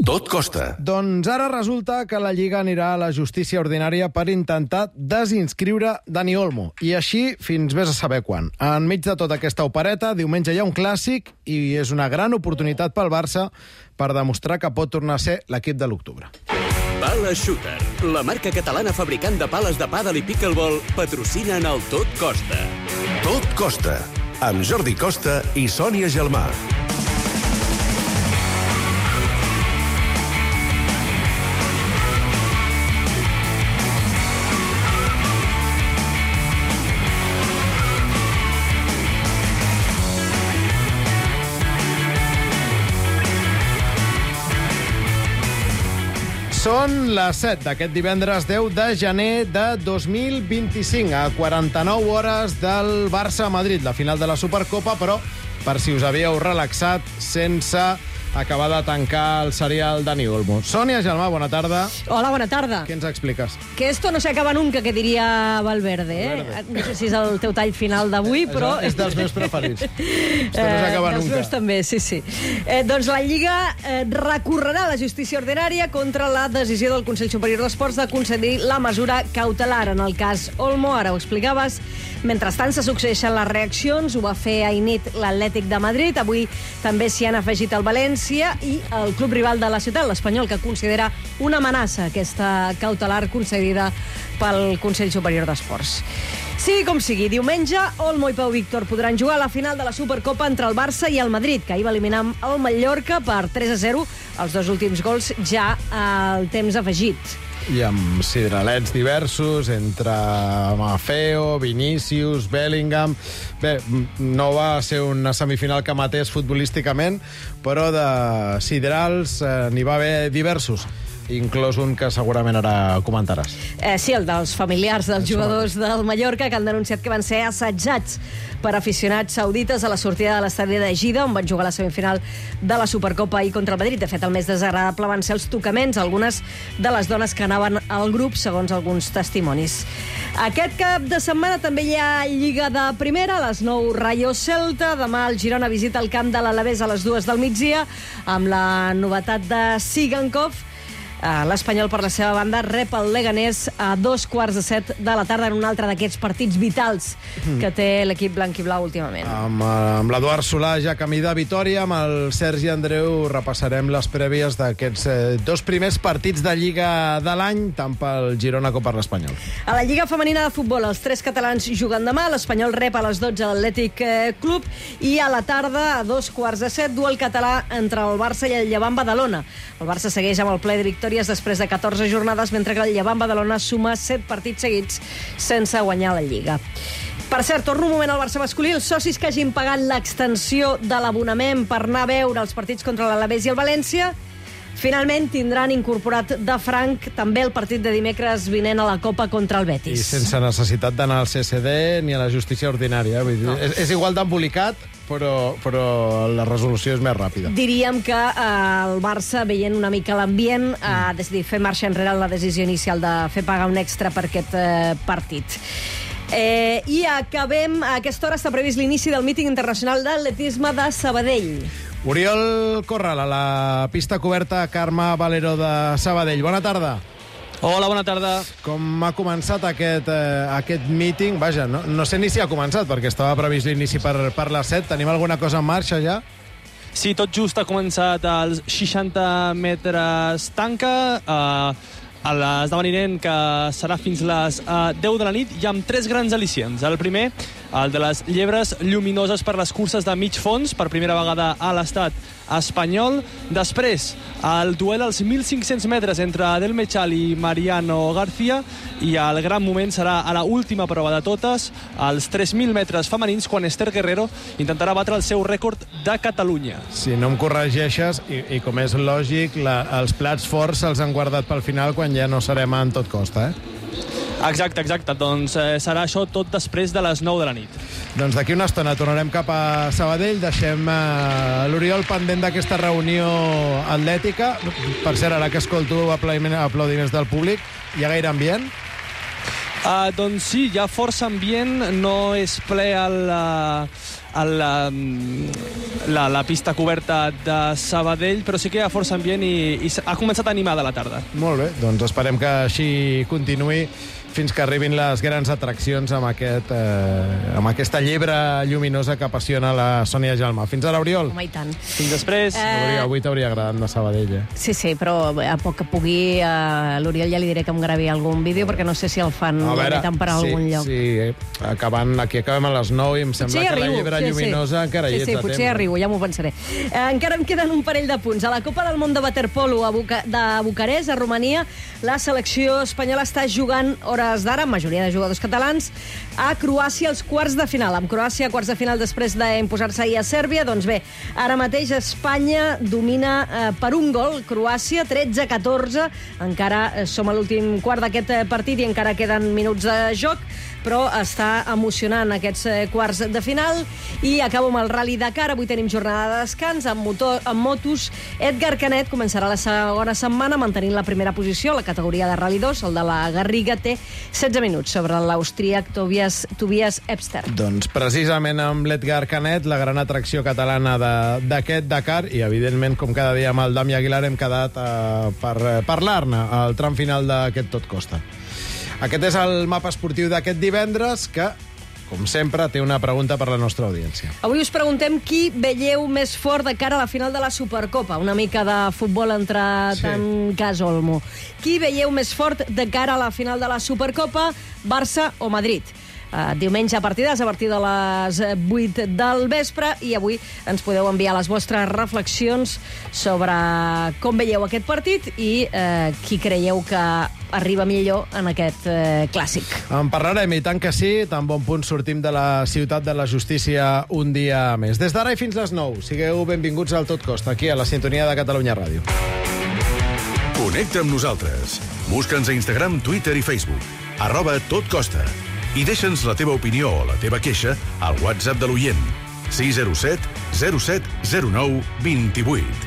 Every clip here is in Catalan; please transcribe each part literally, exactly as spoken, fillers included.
Tot costa. Doncs ara resulta que la Lliga anirà a la justícia ordinària per intentar desinscriure Dani Olmo. I així fins vés a saber quan. Enmig de tota aquesta opereta, diumenge hi ha un clàssic i és una gran oportunitat pel Barça per demostrar que pot tornar a ser l'equip de l'octubre. Pala Shooter, la marca catalana fabricant de pales de pàdel i pickleball, patrocina en el Tot Costa. Tot costa. Amb Jordi Costa i Sònia Gelmà. Són les set d'aquest divendres deu de gener de dos mil vint-i-cinc, a quaranta-nou hores del Barça-Madrid, la final de la Supercopa, però per si us havíeu relaxat, sense acabar de tancar el serial Dani Olmo. Sònia Gelmà, bona tarda. Hola, bona tarda. Què ens expliques? Que esto no se acaba nunca, que diria Valverde, eh? Valverde. No sé si és el teu tall final d'avui, però... És dels meus preferits. Esto no s'acaba eh, nunca. Els meus també, sí, sí. Eh, doncs la Lliga eh, recorrerà a la justícia ordinària contra la decisió del Consell Superior d'Esports de concedir la mesura cautelar en el cas Olmo, ara ho explicaves. Mentrestant se succeeixen les reaccions, ho va fer ahir nit l'Atlètic de Madrid, avui també s'hi han afegit el València i el club rival de la ciutat, l'Espanyol, que considera una amenaça aquesta cautelar concedida pel Consell Superior d'Esports. Sigui com sigui, diumenge, Olmo i Pau Víctor podran jugar a la final de la Supercopa entre el Barça i el Madrid, que ahir va eliminar el Mallorca per tres a zero, els dos últims gols ja al temps afegit. I amb sidralets diversos, entre Mafeo, Vinícius, Bellingham... Bé, no va ser una semifinal que matés futbolísticament, però de sidrals eh, n'hi va haver diversos, inclòs un que segurament ara comentaràs. Eh, sí, el dels familiars dels jugadors del Mallorca, que han denunciat que van ser assetjats per aficionats saudites a la sortida de l'estadi de Gida, on van jugar la semifinal de la Supercopa ahir contra el Madrid. De fet, el més desagradable van ser els tocaments, algunes de les dones que anaven al grup, segons alguns testimonis. Aquest cap de setmana també hi ha Lliga de Primera, a les nou Rayo Celta, demà el Girona visita el camp de l'Alavés a les dues del migdia, amb la novetat de Sigankov. L'Espanyol, per la seva banda, rep el Leganés a dos quarts de set de la tarda en un altre d'aquests partits vitals que té l'equip blanc i blau últimament. Amb, amb l'Eduard Solà ja camí de Vitòria, amb el Sergi Andreu repassarem les prèvies d'aquests eh, dos primers partits de Lliga de l'any, tant pel Girona com per l'Espanyol. A la Lliga femenina de futbol, els tres catalans juguen demà, l'Espanyol rep a les dotze l'Atlètic Club i a la tarda, a dos quarts de set, duel català entre el Barça i el Llevant Badalona. El Barça segueix amb el ple de victòries després de catorze jornades, mentre que el Llevant Badalona suma set partits seguits sense guanyar la Lliga. Per cert, torno un moment al Barça masculí. Els socis que hagin pagat l'extensió de l'abonament per anar a veure els partits contra l'Alavés i el València finalment tindran incorporat de franc també el partit de dimecres vinent a la Copa contra el Betis. I sense necessitat d'anar al C C D ni a la justícia ordinària. Vull dir, no. és, és igual d'embolicat, però, però la resolució és més ràpida. Diríem que eh, el Barça, veient una mica l'ambient, ha mm. decidit fer marxa enrere en la decisió inicial de fer pagar un extra per aquest eh, partit. Eh, I acabem, a aquesta hora està previst l'inici del míting internacional d'atletisme de Sabadell. Oriol Corral, a la pista coberta Carme Valero de Sabadell. Bona tarda. Hola, bona tarda. Com ha començat aquest, eh, aquest míting? Vaja, no, no sé ni si ha començat, perquè estava previst l'inici per, per les set. Tenim alguna cosa en marxa ja? Sí, tot just ha començat als seixanta metres tanca, eh, a l'esdeveniment que serà fins les uh, deu de la nit i amb tres grans al·licients. El primer, el de les llebres lluminoses per les curses de mig fons, per primera vegada a l'estat espanyol. Després, el duel als mil cinc-cents metres entre Adel Mechal i Mariano García, i el gran moment serà a la última prova de totes, als tres mil metres femenins, quan Esther Guerrero intentarà batre el seu rècord de Catalunya. Si no em corregeixes, i, i com és lògic, la, els plats forts se'ls han guardat pel final quan ja no serem en tot costa, eh? Exacte, exacte. Doncs eh, serà això tot després de les nou de la nit. Doncs d'aquí una estona tornarem cap a Sabadell. Deixem eh, l'Oriol pendent d'aquesta reunió atlètica. Per cert, ara que escolto aplaudiments del públic, hi ha gaire ambient? Uh, doncs sí, hi ha força ambient, no és ple el, uh, el, la, la pista coberta de Sabadell, però sí que hi ha força ambient i, i ha començat animada la tarda. Molt bé, doncs esperem que així continuï fins que arribin les grans atraccions amb, aquest, eh, amb aquesta llebre lluminosa que apassiona la Sònia Gelmà. Fins ara, Oriol. Home, i tant. Fins després. Eh... Avui t'hauria agradat anar a Sabadell, eh? Sí, sí, però a poc que pugui, a l'Oriol ja li diré que em gravi algun vídeo, perquè no sé si el fan A veure, per sí, algun lloc. Sí, eh, acabant, aquí acabem a les nou i em sembla Potser que arribo, la llebre sí, lluminosa sí. encara sí, hi ets sí, a potser temps. arribo, ja m'ho pensaré. Eh, encara em queden un parell de punts. A la Copa del Món de Waterpolo a Buca de Bucarest, a Romania, la selecció espanyola està jugant hores d'ara, majoria de jugadors catalans, a Croàcia als quarts de final. Amb Croàcia quarts de final després d'imposar-se ahir a Sèrbia, doncs bé, ara mateix Espanya domina eh, per un gol Croàcia, tretze a catorze. Encara eh, som a l'últim quart d'aquest eh, partit i encara queden minuts de joc, però està emocionant aquests eh, quarts de final. I acabo amb el Rally Dakar. Avui tenim jornada de descans amb, motor, amb motos. Edgar Canet començarà la segona setmana mantenint la primera posició a la categoria de Rally dos. El de la Garriga té setze minuts sobre l'austríac Tobias, Tobias Epster. Doncs precisament amb l'Edgar Canet, la gran atracció catalana d'aquest Dakar, i evidentment, com cada dia amb el Dami Aguilar, hem quedat eh, per eh, parlar-ne al tram final d'aquest Tot Costa. Aquest és el mapa esportiu d'aquest divendres, que, com sempre, té una pregunta per la nostra audiència. Avui us preguntem qui veieu més fort de cara a la final de la Supercopa. Una mica de futbol entrat Sí. en cas Olmo. Qui veieu més fort de cara a la final de la Supercopa, Barça o Madrid? Uh, diumenge a partides a partir de les vuit del vespre, i avui ens podeu enviar les vostres reflexions sobre com veieu aquest partit i uh, qui creieu que arriba millor en aquest uh, clàssic. En parlarem, i tant que sí, tan bon punt sortim de la ciutat de la justícia un dia més. Des d'ara i fins les nou, sigueu benvinguts al Tot Costa, aquí a la sintonia de Catalunya Ràdio. Connecta amb nosaltres. Busca'ns a Instagram, Twitter i Facebook. Arroba Tot Costa. I deixa'ns la teva opinió o la teva queixa al WhatsApp de l'oient. sis zero set zero set zero nou dos vuit.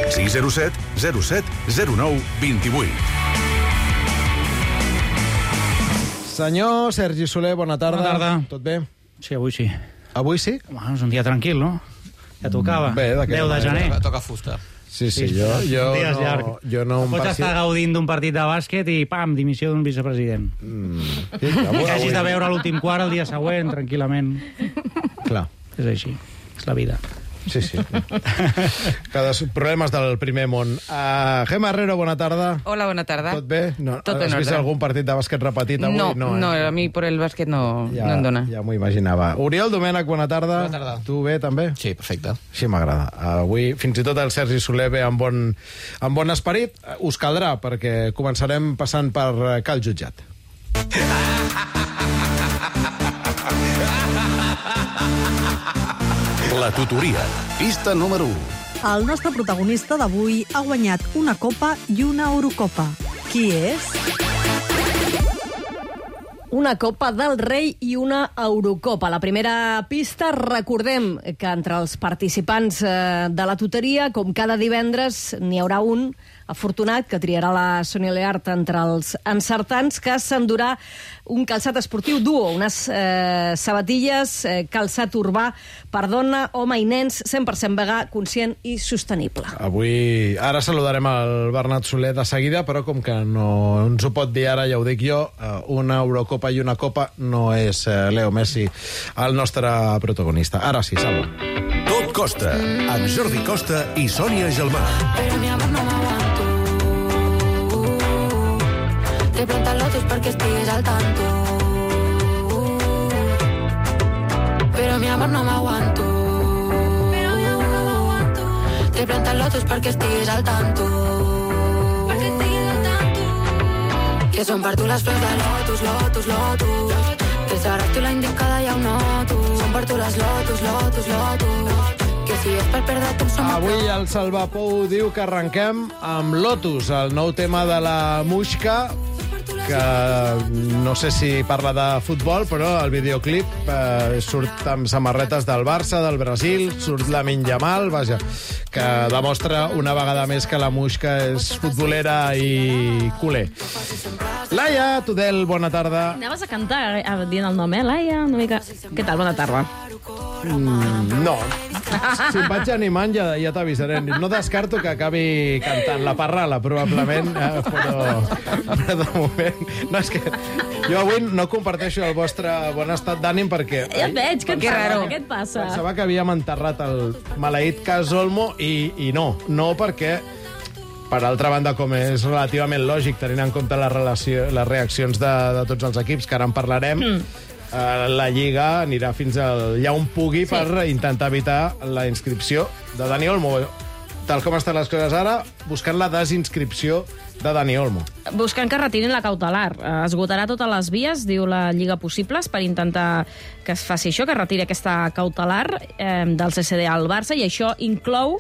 sis zero set zero set zero nou dos vuit. Senyor Sergi Soler, bona tarda. Bona tarda. Tot bé? Sí, avui sí. Avui sí? Home, és un dia tranquil, no? Ja tocava. Bé, d'aquesta deu de manera. gener. Toca fusta. Sí, sí, Sí, jo, jo, un dia és no, llarg. jo no... em Pots passi- estar gaudint d'un partit de bàsquet i, pam, dimissió d'un vicepresident. Sí, I avui, que hagis de avui, veure l'últim quart el dia següent, tranquil·lament. clar. És així. És la vida. Sí, sí. Cada problemes del primer món. Uh, Gemma Herrero, bona tarda. Hola, buena tarde. Tot bé? No, Tot has en vist orden. algun partit de bàsquet repetit avui? No, no, no, eh? a mí por el básquet no, ja, no em dona. Ja m'ho imaginava. Oriol Domènech, bona tarda. Bona tarda. Tu bé, també? Sí, perfecte. Sí, m'agrada. Avui, fins i tot el Sergi Soler ve amb bon, amb bon esperit. Us caldrà, perquè començarem passant per eh, Cal Jutjat. La tutoria. Pista número u. El nostre protagonista d'avui ha guanyat una Copa i una Eurocopa. Qui és? Una Copa del Rei i una Eurocopa. La primera pista, recordem que entre els participants eh, de la tutoria, com cada divendres, n'hi haurà un afortunat que triarà la Sònia Leart entre els encertants, que s'endurà un calçat esportiu duo, unes eh, sabatilles, eh, calçat urbà per dona, home i nens, cent per cent vegà, conscient i sostenible. Avui, ara saludarem el Bernat Soler de seguida, però com que no ens ho pot dir ara, ja ho dic jo, eh, una Eurocopa i una Copa no és eh, Leo Messi el nostre protagonista. Ara sí, Salva. Tot Costa, amb Jordi Costa i Sònia Gelmà. Pero mi amor no m'aguanto. Te preguntan lotos perquè estigues al tanto. Pero mi amor no m'aguanto. Pero mi amor no m'aguanto. Te preguntan lotos perquè estigues al tanto. Perquè estigues al tanto. Que són per tu les flors de lotus, lotus, lotus. Que seràs tu la indicada ja ho noto. Són per tu les lotus, lotus, lotus. Que si és per perdre-te em som... Avui el Salvapou diu que arrenquem amb Lotus, el nou tema de la Muixca, que no sé si parla de futbol, però el videoclip eh, surt amb samarretes del Barça, del Brasil, surt Lamine Yamal, vaja, que demostra una vegada més que la Muixca és futbolera i culer. Laia Tudel, bona tarda. Anaves a cantar eh, dient el nom, eh, Laia? Una mica... Què tal? Bona tarda. Mm, no. Si em vaig animant ja, ja t'avisaré. No descarto que acabi cantant la parrala, probablement, eh, però, però de moment... No, és que jo avui no comparteixo el vostre bon estat d'ànim perquè... Ja et veig, que pensava, raro. Què et passa? Pensava que havíem enterrat el maleït cas Olmo i, i no. No perquè, per altra banda, com és relativament lògic, tenint en compte la relació, les reaccions de, de tots els equips, que ara en parlarem, mm. eh, la Lliga anirà fins allà on pugui sí. per intentar evitar la inscripció de Dani Olmo. Tal com estan les coses ara, buscant la desinscripció de Dani Olmo. Buscant que retirin la cautelar. Esgotarà totes les vies, diu la Lliga, possibles per intentar que es faci això, que retiri aquesta cautelar eh, del C C D al Barça, i això inclou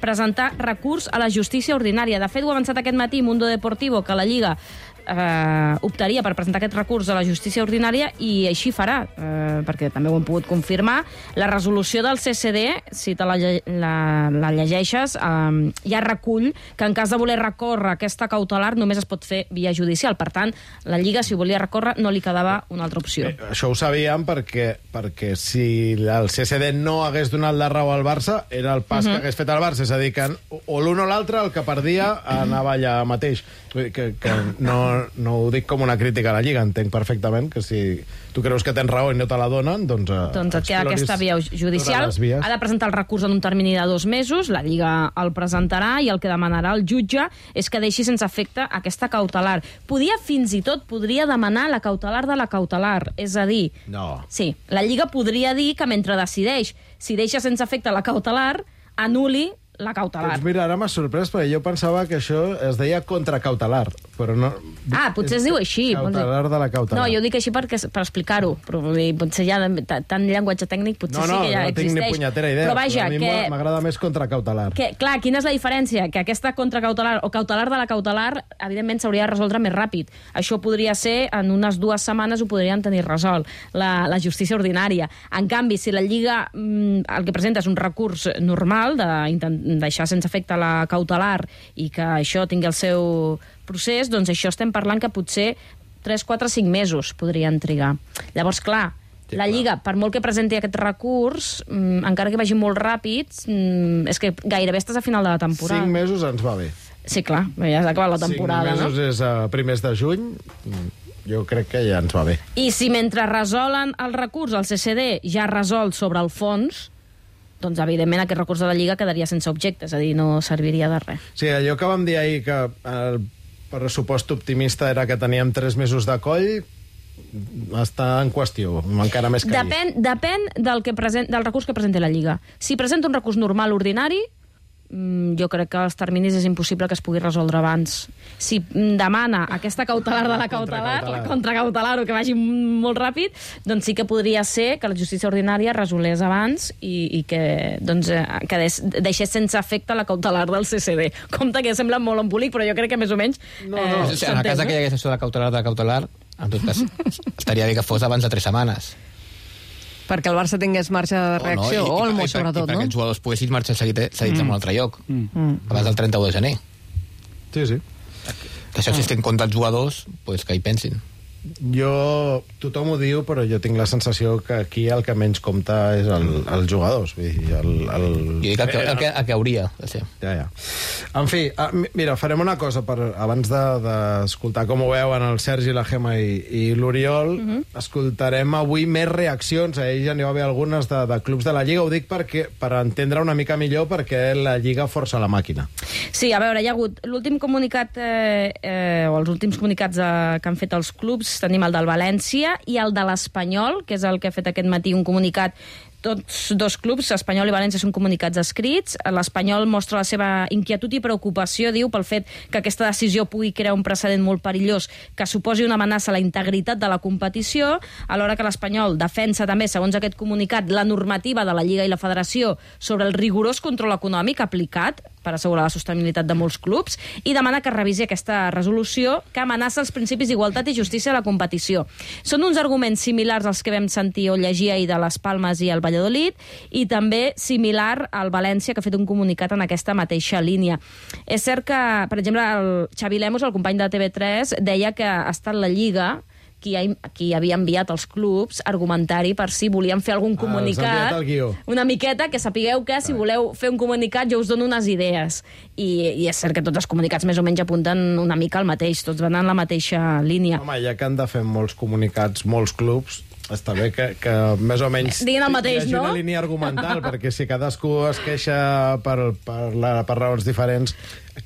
presentar recurs a la justícia ordinària. De fet, ho ha avançat aquest matí Mundo Deportivo, que la Lliga eh, optaria per presentar aquest recurs a la justícia ordinària, i així farà, eh, perquè també ho hem pogut confirmar. La resolució del C C D, si te la, la, la llegeixes, eh, ja recull que en cas de voler recórrer aquesta cautelar només es pot fer via judicial. Per tant, la Lliga, si volia recórrer, no li quedava una altra opció. Bé, això ho sabíem perquè, perquè si el C C D no hagués donat la raó al Barça, era el pas uh-huh. que hagués fet el Barça. És a dir, que o l'un o l'altre, el que perdia, anava allà mateix. Que, que no, no ho dic com una crítica a la Lliga, entenc perfectament que si tu creus que tens raó i no te la donen, doncs... Doncs et queda aquesta via judicial. Ha de presentar el recurs en un termini de dos mesos, la Lliga el presentarà i el que demanarà el jutge és que deixi sense efecte aquesta cautelar. Podia, fins i tot, podria demanar la cautelar de la cautelar, és a dir... No. Sí, la Lliga podria dir que mentre decideix si deixa sense efecte la cautelar, anul·li la cautelar. Doncs mira, ara m'ha sorprès, perquè jo pensava que això es deia contracautelar, però no... Ah, potser es diu així. Cautelar de la cautelar. No, jo dic així perquè, per explicar-ho, però potser ja tant llenguatge tècnic potser no, no, sí que ja no existeix. No, no tinc ni punyetera idea, però, vaja, però a mi que... m'agrada més contracautelar. Que, clar, quina és la diferència? Que aquesta contracautelar o cautelar de la cautelar, evidentment, s'hauria de resoldre més ràpid. Això podria ser, en unes dues setmanes ho podrien tenir resolt, la, la justícia ordinària. En canvi, si la Lliga mm, el que presenta és un recurs normal de deixar sense efecte la cautelar i que això tingui el seu procés, doncs això estem parlant que potser tres, quatre, cinc mesos podrien trigar. Llavors, clar, sí, la Lliga, clar, per molt que presenti aquest recurs, mmm, encara que vagi molt ràpid, mmm, és que gairebé estàs a final de la temporada. Cinc mesos ens va bé. Sí, clar, ja s'ha acabat la temporada, Cinc mesos no? és a primers de juny, jo crec que ja ens va bé. I si mentre resolen el recurs al C C D ja resolt sobre el fons, doncs, evidentment, aquest recurs de la Lliga quedaria sense objecte, és a dir, no serviria de res. Sí, allò que vam dir ahir, que el pressupost optimista era que teníem tres mesos de coll, està en qüestió, encara més que depèn, ahir. Depèn del, que present, del recurs que presenti la Lliga. Si presenta un recurs normal, ordinari, jo crec que els terminis és impossible que es pugui resoldre abans. Si demana aquesta cautelar de la cautelar, la contracautelar, o que vagi molt ràpid, doncs sí que podria ser que la justícia ordinària resolés abans i, i que, doncs, que deixés sense efecte la cautelar del C C D. Compte que sembla molt embolic, però jo crec que més o menys... No, no. Eh, en el cas que hi hagués això de la cautelar de la cautelar, en tot cas, estaria bé que fos abans de tres setmanes. Perquè el Barça tingués marge de reacció, o, no, i, i, o el Mo, sobretot, no? I perquè els jugadors poguessin marxar cedits mm. en un altre lloc, mm. abans del trenta-u de gener. Sí, sí. Que això, si estem contra els jugadors, pues que hi pensin. Jo, tothom ho diu, però jo tinc la sensació que aquí el que menys compta és el, els jugadors. Vull dir, el, el... Jo dic el que, el que, el que hauria de ser. Ja, ja. En fi, mira, farem una cosa per, abans d'escoltar de, com ho veuen el Sergi, la Gemma i, i l'Oriol. Uh -huh. Escoltarem avui més reaccions. A ells ja n'hi va haver algunes de, de clubs de la Lliga. Ho dic perquè, per entendre una mica millor perquè la Lliga força la màquina. Sí, a veure, hi ha hagut l'últim comunicat, eh, eh, o els últims comunicats eh, que han fet els clubs. Tenim el del València i el de l'Espanyol, que és el que ha fet aquest matí un comunicat tots dos clubs, Espanyol i València, són comunicats escrits. L'Espanyol mostra la seva inquietud i preocupació, diu, pel fet que aquesta decisió pugui crear un precedent molt perillós que suposi una amenaça a la integritat de la competició, alhora que l'Espanyol defensa també, segons aquest comunicat, la normativa de la Lliga i la Federació sobre el rigorós control econòmic aplicat per assegurar la sostenibilitat de molts clubs i demana que revisi aquesta resolució que amenaça els principis d'igualtat i justícia a la competició. Són uns arguments similars als que vam sentir o llegir ahir de les Palmes i el Valladolid i també similar al València, que ha fet un comunicat en aquesta mateixa línia. És cert que, per exemple, el Xavi Lemos, el company de T V tres, deia que ha estat la Lliga qui, ha, qui havia enviat als clubs argumentari per si volien fer algun comunicat. Ah, una miqueta, que sapigueu que si voleu fer un comunicat jo us dono unes idees. I, i és cert que tots els comunicats més o menys apunten una mica al mateix, tots van en la mateixa línia. Home, ja que han de fer molts comunicats, molts clubs, està bé que, que més o menys diguin el mateix, hi hagi no? una línia argumental, perquè si cadascú es queixa per, per, la, per raons diferents,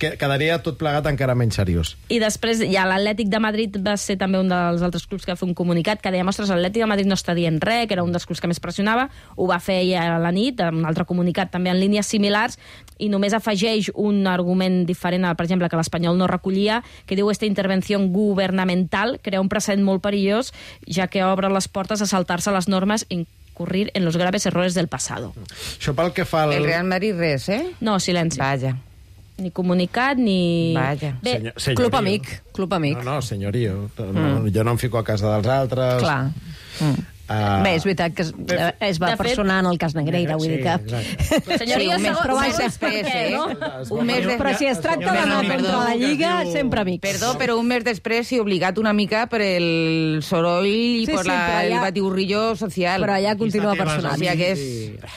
que quedaria tot plegat encara menys seriós. I després ja l'Atlètic de Madrid va ser també un dels altres clubs que va fer un comunicat que deia, ostres, l'Atlètic de Madrid no està dient res, que era un dels clubs que més pressionava, ho va fer ja a la nit, un altre comunicat també en línies similars, i només afegeix un argument diferent, per exemple, que l'Espanyol no recollia, que diu esta intervenció gubernamental crea un precedent molt perillós, ja que obre les portes a saltar-se les normes i incurrir en los graves errores del pasado. Això pel que fa al... El Real Madrid res, eh? No, silenci. Vaja. Ni comunicat, ni... Vaja. Bé, Senyor, senyorio. Club amic, club amic. No, no, senyorio. No, mm. Jo no em fico a casa dels altres. Clar. Mm. Uh, Bé, és veritat que es, es va personar en el cas Negreira, vull dir que... Senyoria, un mes, però un va mes ser després, per què, eh? no? Un mes de... Però si es tracta d'anar contra la Lliga, sempre amics. Perdó, però un mes després s'hi obligat una mica per el soroll i Sí, per sí, la, però allà- el batiburrillo social. Però allà continua personant. O sigui que és...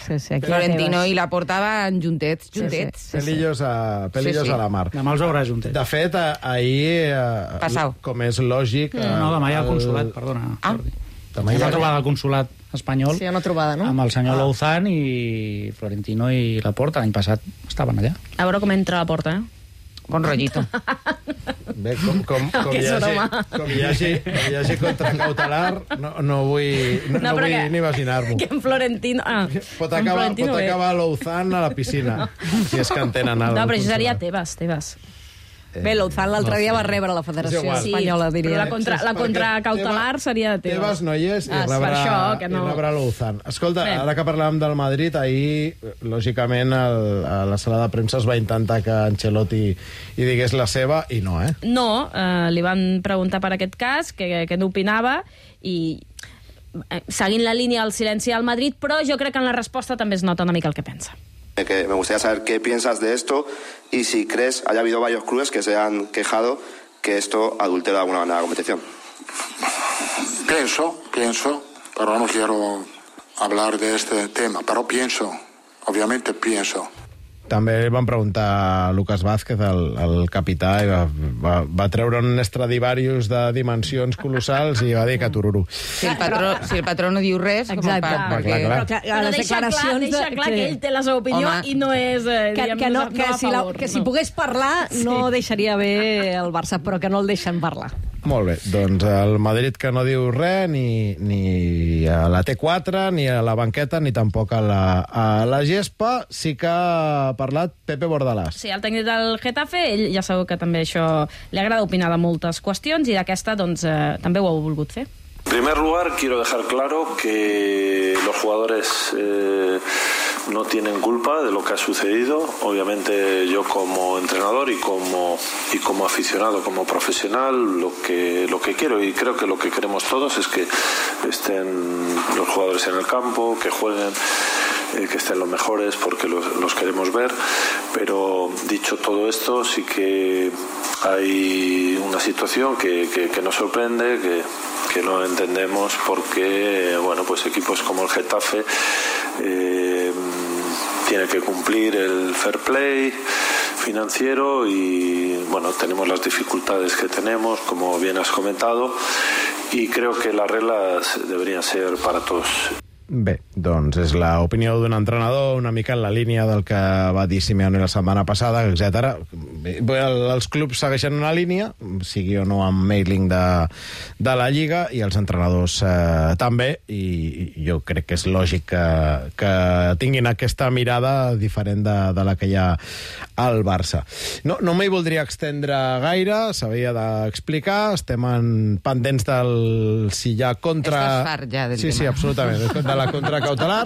Sí, sí, aquí Florentino la i la portaven juntets, juntets. Sí, sí. Pelillos, a, pelillos Sí, sí. a la mar. Demà els veuràs juntet. De fet, a, ahir, eh, Passau. com és lògic... No, no, demà hi ha el consulat, perdona. Ah. Jordi. Demà hi Hi ha... ha trobada al consulat espanyol Sí, una trobada, no? amb el senyor Louzán i Florentino i Laporta. L'any passat estaven allà. A veure com entra a la porta, eh? Bon rotllito. Bé, com, com, com, Que hi és hagi, broma. com hi hagi, com hi hagi contracautelar, no, no vull, no, no, però vull que- ni imaginar-m'ho. Que en Florentino... Ah, Pot en acabar, Florentino pot bé. acabar Louzán a la piscina, si és que en tenen el No, però això seria consulat. Tebas, Tebas. Bé, l'Ouzán l'altre dia va rebre la Federació És igual. Espanyola, Però diria. la, contra, la Perquè contracautelar Tebas- seria de Tebas. Tebas no hi és i Ah, és per rebrà, això que no- i rebrà Louzán. Escolta, Bé. ara que parlàvem del Madrid, ahir, lògicament, el, a la sala de premsa es va intentar que Ancelotti hi digués la seva, i no, eh? No, eh, li van preguntar per aquest cas, què que n'opinava, i eh, seguint la línia del silenci al Madrid, però jo crec que en la resposta també es nota una mica el que pensa. Que me gustaría saber qué piensas de esto y si crees haya habido varios clubes que se han quejado que esto adultera de alguna manera la competición. Pienso, pienso, pero no quiero hablar de este tema, pero pienso, obviamente pienso. També van preguntar a Lucas Vázquez, el, el capità, i va, va, va treure un Stradivarius de dimensions colossals i va dir que tururu. Si el patró, si el patró no diu res, com Exacte. part, Clar, perquè... clar, clar. Però que, a Però les deixa clar, declaracions... deixa de- clar que ell té la seva opinió Home. i no és... Eh, Que, diguem, que, no, no, que, a si la, favor, que si no. pogués parlar no deixaria bé el Barça, però que no el deixen parlar. Molt bé, doncs el Madrid que no diu res, ni, ni a la T quatre, ni a la banqueta, ni tampoc a la, a la gespa. Sí que ha parlat Pepe Bordalás. Sí, el tècnic del Getafe, ell ja sabeu que també això li agrada opinar de moltes qüestions i d'aquesta doncs, eh, també ho ha volgut fer. En primer lugar, quiero dejar claro que los jugadores eh, no tienen culpa de lo que ha sucedido. Obviamente yo como entrenador y como, y como aficionado, como profesional, lo que, lo que quiero y creo que lo que queremos todos es que estén los jugadores en el campo, que jueguen, eh, que estén los mejores porque los, los queremos ver. Pero dicho todo esto, sí que hay una situación que, que, que nos sorprende, que, que no entendemos porque, bueno, pues equipos como el Getafe eh, tiene que cumplir el fair play financiero y, bueno, tenemos las dificultades que tenemos, como bien has comentado, y creo que las reglas deberían ser para todos. Bé, doncs és l'opinió d'un entrenador, una mica en la línia del que va dir Simeone la setmana passada, etcètera. Els clubs segueixen una línia, sigui o no amb mailing de, de la Lliga, i els entrenadors eh, també, i, i jo crec que és lògic que, que tinguin aquesta mirada diferent de, de la que hi ha al Barça. No, no m'hi voldria extendre gaire, s'havia d'explicar, estem en pendents del si hi ha contra... Estàs fart ja del sí, tema. Sí, absolutament, de la contracautelar.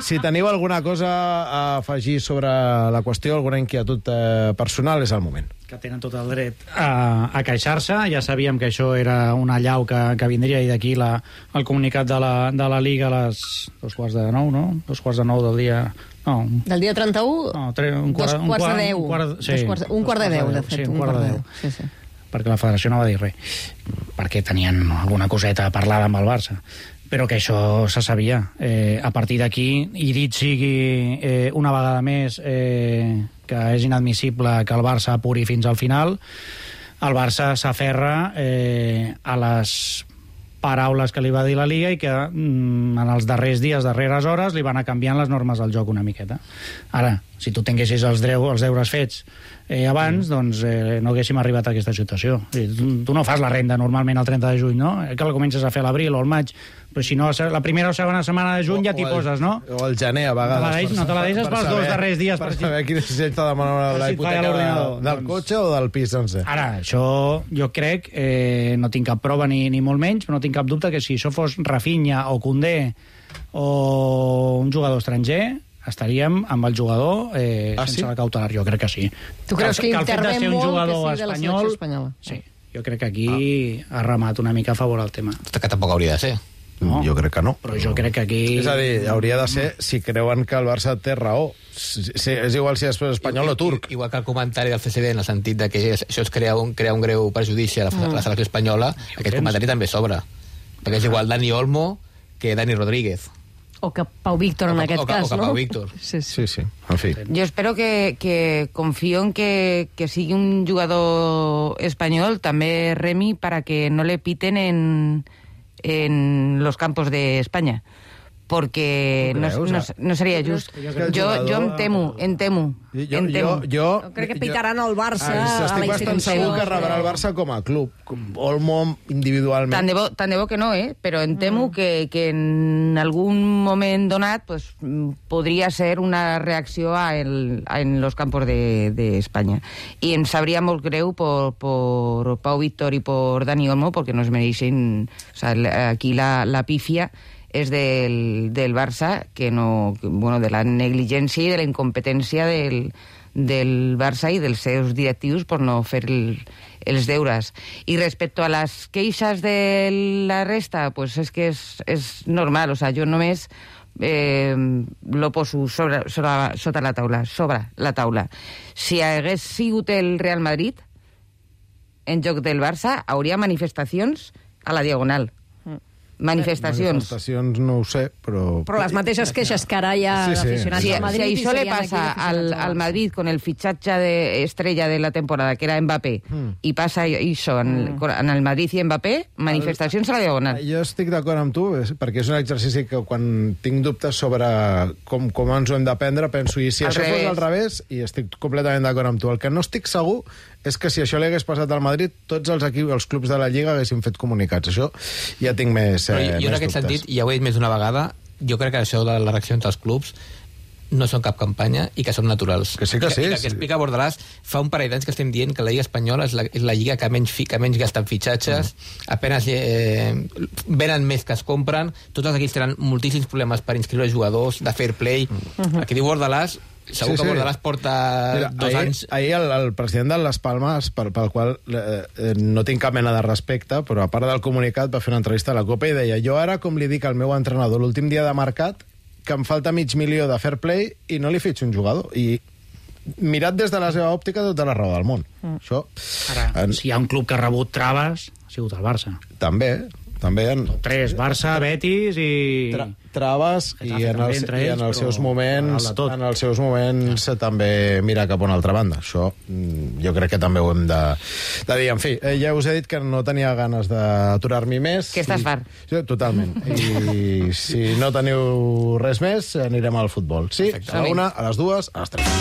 Si teniu alguna cosa a afegir sobre la qüestió, alguna inquietud eh, personal, és el moment. Que tenen tot el dret a, a queixar-se. Ja sabíem que això era una allau que, que vindria, i d'aquí la, el comunicat de la, de la Liga a les dos quarts de nou, no? Dos quarts de nou del dia... No. Del dia trenta-u? No, tre, un quart, dos quarts de deu. Un quart, sí, dos quarts, un quart de deu, de fet. Sí, un quart de deu. Sí, sí. Perquè la federació no va dir res. Perquè tenien alguna coseta a parlar amb el Barça. Però que això se sabia. Eh, a partir d'aquí, i dit sigui eh, una vegada més eh, que és inadmissible que el Barça apuri fins al final, el Barça s'aferra eh, a les paraules que li va dir la Liga i que mm, en els darrers dies, darreres hores, li van anar canviant les normes del joc una miqueta. Ara, si tu tinguessis els, dreu, els deures fets eh, abans, mm. doncs eh, no haguéssim arribat a aquesta situació. Tu, tu no fas la renda normalment el trenta de juny, no? Que la comences a fer a l'abril o al maig, però si no, la primera o segona setmana de juny o, ja t'hi poses, no? O el gener, a vegades. No te la deixes, no te la deixes pels dos darrers dies. Per saber quin és el de demanar la hipoteca de, del doncs, cotxe o del pis, doncs. Ara, això jo crec, eh, no tinc cap prova ni, ni molt menys, però no tinc cap dubte que si això fos Rafinha o Koundé o un jugador estranger, estaríem amb el jugador eh, ah, sense sí? la cautelar. Jo crec que sí. Tu creus que, que intervé molt jugador que sigui de la selecció espanyola? Sí, jo crec que aquí ah. ha remat una mica a favor el tema. Que tampoc hauria de ser. No, jo crec que no. Però jo crec que aquí... És a dir, hauria de ser si creuen que el Barça té raó. Si, si, és igual si és espanyol o turc. Igual que el comentari del C C D en el sentit de que això es crea un, crea un greu perjudici a la, mm. la selecció espanyola, aquest comentari també sobra. Perquè és igual Dani Olmo que Dani Rodríguez. O que Pau Víctor, en o, aquest o, cas, o que no? Pau Víctor. Sí, sí, sí. En fi. Jo espero que, que confío en que, que sigui un jugador espanyol, també Remi, para que no le piten en... en los campos de España, porque no, no, no seria just. Jo, jo em temo, em temo. Jo, em temo. jo, jo, crec que pitaran al Barça, ah, a la estic bastant segur que rebrà el Barça com a club, com Olmo individualment. Tant de bo, tant de bo que no, eh? Però em temo mm. que, que en algun moment donat pues, podria ser una reacció a el, a en los campos de, de España. I em sabria molt greu por, por Pau Víctor i por Dani Olmo, porque nos mereixen... O sea, aquí la, la pifia és del, del Barça, que no, que, bueno, de la negligència i de la incompetència del, del Barça i dels seus directius per no fer el, els deures. I respecte a les queixes de la resta, pues és que és, és normal, o sea, jo només eh, lo poso sobre, sobre, sota la taula, sobre la taula. Si hagués sigut el Real Madrid en joc del Barça, hauria manifestacions a la Diagonal. Manifestacions. Manifestacions no ho sé, però... Però les mateixes queixes que ara hi ha sí, sí. d'aficionats Si, al Madrid... si això le serien pasa aquí al, al Madrid con el fichaje de estrella de la temporada, que era Mbappé, mm. i passa això en, mm. en el Madrid i Mbappé, manifestacions a la Diagonal. Jo estic d'acord amb tu, perquè és un exercici que quan tinc dubtes sobre com, com ens ho hem d'aprendre, penso, i si al això revés. fos al revés, i estic completament d'acord amb tu. El que no estic segur és que si això li hagués passat al Madrid, tots els equips, els clubs de la Lliga haguessin fet comunicats. Això ja tinc més, eh, jo, jo més en aquest dubtes. sentit, ja ho he dit més d'una vegada, jo crec que això de la reacció entre els clubs no són cap campanya i que són naturals. Que sí que sí. I que, que, que explica Bordalàs, fa un parell d'anys que estem dient que la Lliga Espanyola és la, és la lliga que menys, fi, que menys gasta en fitxatges, mm. apenas eh, venen més que es compren, tots els equips tenen moltíssims problemes per inscriure jugadors, de fair play. Mm. El que diu Bordalàs, segur sí, que Bordalàs sí. porta Mira, dos ahir, anys... Ahir el, el president de Las Palmas, pel, pel qual eh, no tinc cap mena de respecte, però a part del comunicat va fer una entrevista a la Copa i deia: jo ara, com li dic al meu entrenador l'últim dia de mercat, que em falta mig milió de fair play i no li fitxo un jugador. I mirat des de la seva òptica, tota la raó del món. Mm. Això, ara, en... si hi ha un club que ha rebut traves, ha sigut el Barça. També, també en... Tres, Barça, Betis i... Tra traves i en els, i en els seus moments en els seus moments ja. també mirar cap a una altra banda. Això jo crec que també ho hem de, de dir. En fi, ja us he dit que no tenia ganes d'aturar-m'hi més. Que estàs fart. Sí, totalment. I si no teniu res més, anirem al futbol. Sí, Perfecte. a la una, a les dues, a les tres.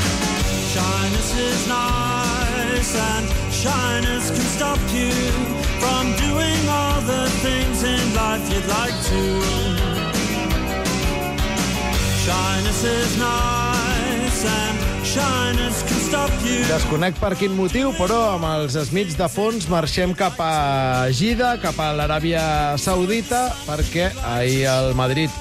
Shyness is nice and shyness can stop you from doing all the things in life you'd like to. Shyness is nice and shyness can stop you. Desconec per quin motiu, però amb els Smiths de fons marxem cap a Gida, cap a l'Aràbia Saudita, perquè ahir el Madrid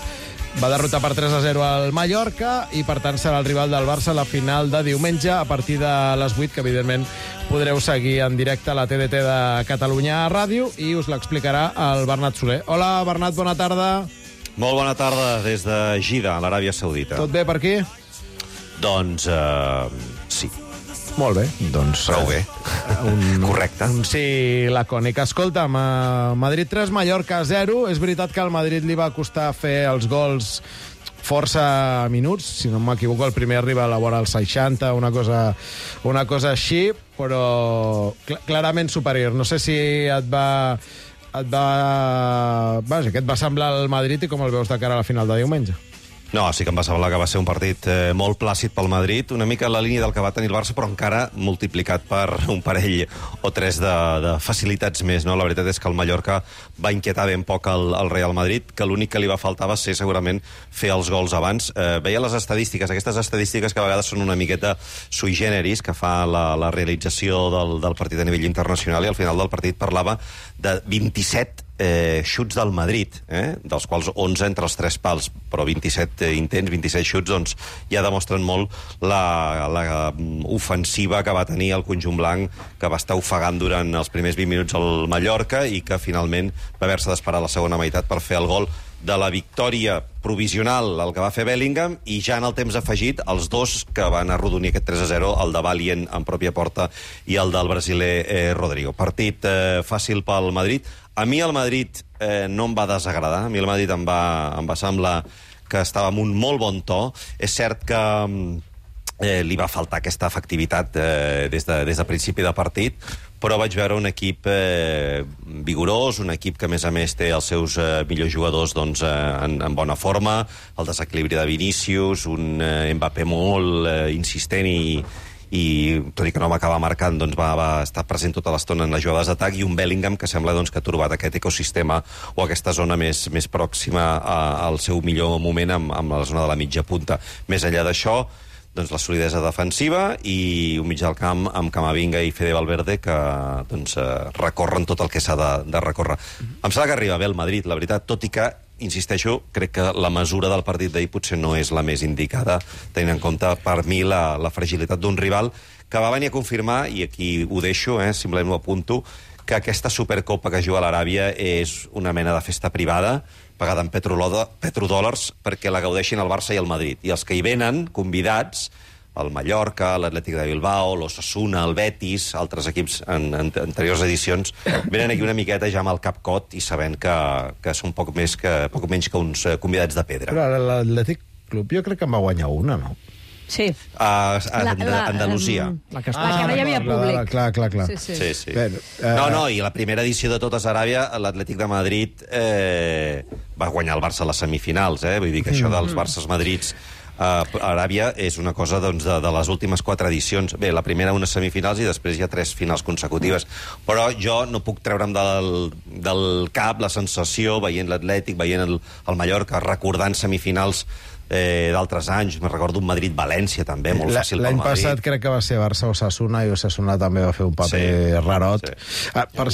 va derrotar per tres a zero al Mallorca i, per tant, serà el rival del Barça a la final de diumenge a partir de les vuit, que, evidentment, podreu seguir en directe a la T D T de Catalunya Ràdio i us l'explicarà el Bernat Soler. Hola, Bernat, bona tarda. Molt bona tarda des de Gida, a l'Aràbia Saudita. Tot bé per aquí? Doncs, uh, sí. Molt bé, doncs... Prou bé. Un, Correcte. Un sí lacònic. Escolta'm, uh, Madrid tres, Mallorca zero. És veritat que al Madrid li va costar fer els gols força minuts, si no m'equivoco, el primer arriba a la vora als seixanta, una cosa, una cosa així, però cl clarament superior. No sé si et va... et va... Vaja, què et va semblar el Madrid i com el veus de cara a la final de diumenge? No, sí que em va semblar que va ser un partit eh, molt plàcid pel Madrid, una mica en la línia del que va tenir el Barça, però encara multiplicat per un parell o tres de, de facilitats més, no? La veritat és que el Mallorca va inquietar ben poc el, el Real Madrid, que l'únic que li va faltar va ser segurament fer els gols abans. Eh, veia les estadístiques, aquestes estadístiques que a vegades són una miqueta sui generis, que fa la, la realització del, del partit a nivell internacional, i al final del partit parlava de vint-i-set Eh, xuts del Madrid, eh? dels quals onze entre els tres pals, però vint-i-set eh, intents, vint-i-set xuts, doncs ja demostren molt la, la ofensiva que va tenir el conjunt blanc, que va estar ofegant durant els primers vint minuts al Mallorca i que finalment va haver-se d'esperar la segona meitat per fer el gol de la victòria provisional, el que va fer Bellingham, i ja en el temps afegit els dos que van arrodonir aquest tres a zero, el de Valient en pròpia porta i el del brasiler eh, Rodrigo. Partit eh, fàcil pel Madrid. A mi el Madrid eh, no em va desagradar, a mi el Madrid em va, em va semblar que estava amb un molt bon to. És cert que eh, li va faltar aquesta efectivitat eh, des, de, des de principi de partit, però vaig veure un equip eh, vigorós, un equip que a més a més té els seus eh, millors jugadors doncs, eh, en, en bona forma, el desequilibri de Vinícius, un eh, Mbappé molt eh, insistent i i tot i que no va acabar marcant, doncs va, va estar present tota l'estona en les jugades d'atac, i un Bellingham que sembla doncs, que ha trobat aquest ecosistema o aquesta zona més, més pròxima a, al seu millor moment amb, amb la zona de la mitja punta. Més enllà d'això, doncs, la solidesa defensiva i un mig del camp amb Camavinga i Fede Valverde que doncs, recorren tot el que s'ha de, de recórrer. Mm-hmm. Em sembla que arriba bé el Madrid, la veritat, tot i que insisteixo, crec que la mesura del partit d'ahir potser no és la més indicada, tenint en compte, per mi, la, la fragilitat d'un rival que va venir a confirmar, i aquí ho deixo, eh, simplement ho apunto, que aquesta Supercopa que juga a l'Aràbia és una mena de festa privada, pagada en petrodòlars, perquè la gaudeixin el Barça i el Madrid. I els que hi venen, convidats, el Mallorca, l'Atlètic de Bilbao, l'Osasuna, el Betis, altres equips en, en anteriors edicions, venen aquí una miqueta ja amb el cap cot i sabent que, que són poc, més que, poc menys que uns convidats de pedra. Però l'Atlètic Club jo crec que en va guanyar una, no? Sí. A, a, la, la, Andalusia. La que, ah, la que no hi havia públic. La, la, clar, clar, clar. Sí, sí. sí, sí. Bé, uh... No, no, i la primera edició de totes Aràbia, l'Atlètic de Madrid eh, va guanyar el Barça a les semifinals, eh? Vull dir que això dels Barças-Madrids a uh, Aràbia és una cosa doncs, de, de les últimes quatre edicions. Bé, la primera unes semifinals i després hi ha tres finals consecutives. Però jo no puc treure'm del, del cap la sensació, veient l'Atlètic, veient el, el Mallorca, recordant semifinals eh, d'altres anys. Me recordo un Madrid-València, també, molt fàcil pel Madrid. L'any passat crec que va ser Barça-Osasuna i Osasuna també va fer un paper sí, rarot. Sí. Ah, per...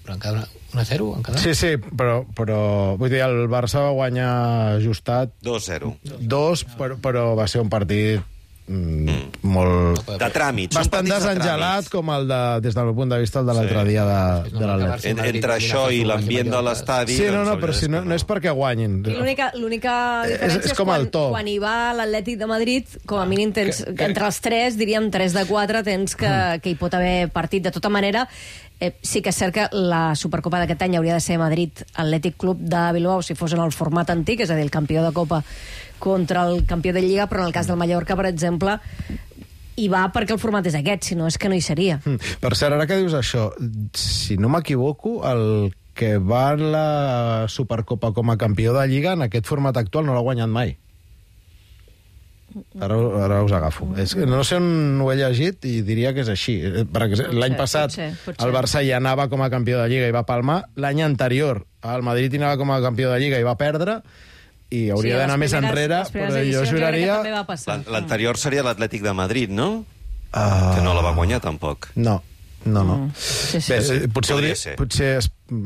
Però encara un a zero, encara? Sí, sí, però, però vull dir, el Barça va guanyar ajustat dos a zero. Dos, però, però va ser un partit mm, molt... De tràmits. Bastant desengelat, com el de, des del meu punt de vista, el de l'altre sí. dia de, de l'Atlètic. En, entre això i l'ambient de l'estadi... Sí, no, no, però si no, no és perquè guanyin. L'única diferència és, és, és quan, quan hi va l'Atlètic de Madrid, com a mínim tens, que, que... entre els tres, diríem tres de quatre, tens que, que hi pot haver partit. De tota manera, Eh, sí que és cert que la Supercopa d'aquest any hauria de ser Madrid Atlètic Club de Bilbao si fos en el format antic, és a dir, el campió de Copa contra el campió de Lliga, però en el cas del Mallorca, per exemple, hi va perquè el format és aquest, si no és que no hi seria. Mm. Per cert, ara que dius això, si no m'equivoco, el que va a la Supercopa com a campió de Lliga en aquest format actual no l'ha guanyat mai. Ara, ara us agafo. És que no sé on ho he llegit i diria que és així. L'any passat potser, potser. el Barça hi anava com a campió de Lliga i va palmar. L'any anterior el Madrid hi anava com a campió de Lliga i va perdre. I hauria sí, d'anar més enrere, però jo juraria... L'anterior seria l'Atlètic de Madrid, no? Uh... Que no la va guanyar, tampoc. No, no, no. Mm. Sí, sí. Bé, potser, hauria, potser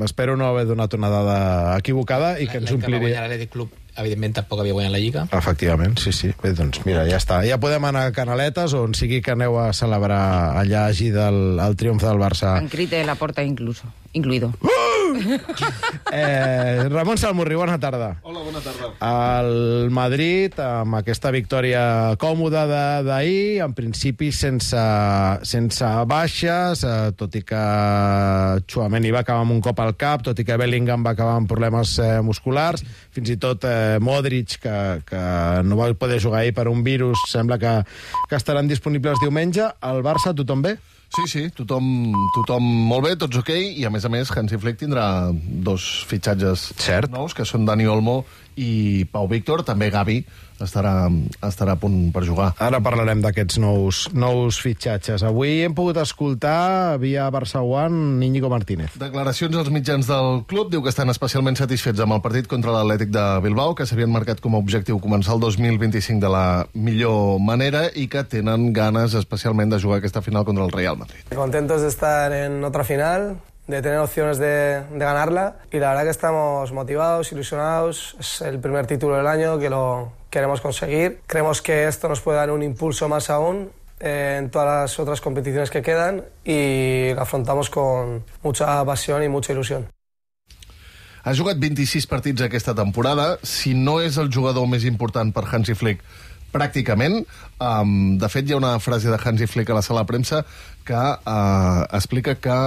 espero no haver donat una dada equivocada i que ens ompliria... L'any que va guanyar l'Atlètic Club, evidentment, tampoc havia guanyat la Lliga. Efectivament, sí, sí. Bé, doncs mira, ja està. Ja podem anar a Canaletes, on sigui que aneu a celebrar allà hagi del el triomf del Barça. En Crite la porta incluso, incluido. Eh, Ramon Salmurri, bona tarda. Hola, bona tarda. El Madrid, amb aquesta victòria còmoda d'ahir, en principi sense, sense baixes, eh, tot i que Tchouaméni va acabar amb un cop al cap, tot i que Bellingham va acabar amb problemes eh, musculars, fins i tot eh, Modric, que, que no va poder jugar ahir per un virus, sembla que, que estaran disponibles diumenge. El Barça, tothom bé? Sí, sí, tothom, tothom molt bé, tots ok, i a més a més Hansi Flick tindrà dos fitxatges Cert. nous, que són Dani Olmo i Pau Víctor, també Gavi estarà, estarà a punt per jugar. Ara parlarem d'aquests nous, nous fitxatges. Avui hem pogut escoltar via Barça One Íñigo Martínez. Declaracions als mitjans del club, diu que estan especialment satisfets amb el partit contra l'Atlètic de Bilbao, que s'havien marcat com a objectiu començar el dos mil vint-i-cinc de la millor manera i que tenen ganes especialment de jugar aquesta final contra el Real Madrid. Contentos de estar en otra final, de tener opciones de, de ganarla, y la verdad que estamos motivados, ilusionados. Es el primer título del año que lo queremos conseguir. Creemos que esto nos puede dar un impulso más aún eh, en todas las otras competiciones que quedan y lo afrontamos con mucha pasión y mucha ilusión. Ha jugat vint-i-sis partits aquesta temporada. Si no és el jugador més important per Hansi Flick, pràcticament. Um, de fet, hi ha una frase de Hansi Flick a la sala de premsa que uh, explica que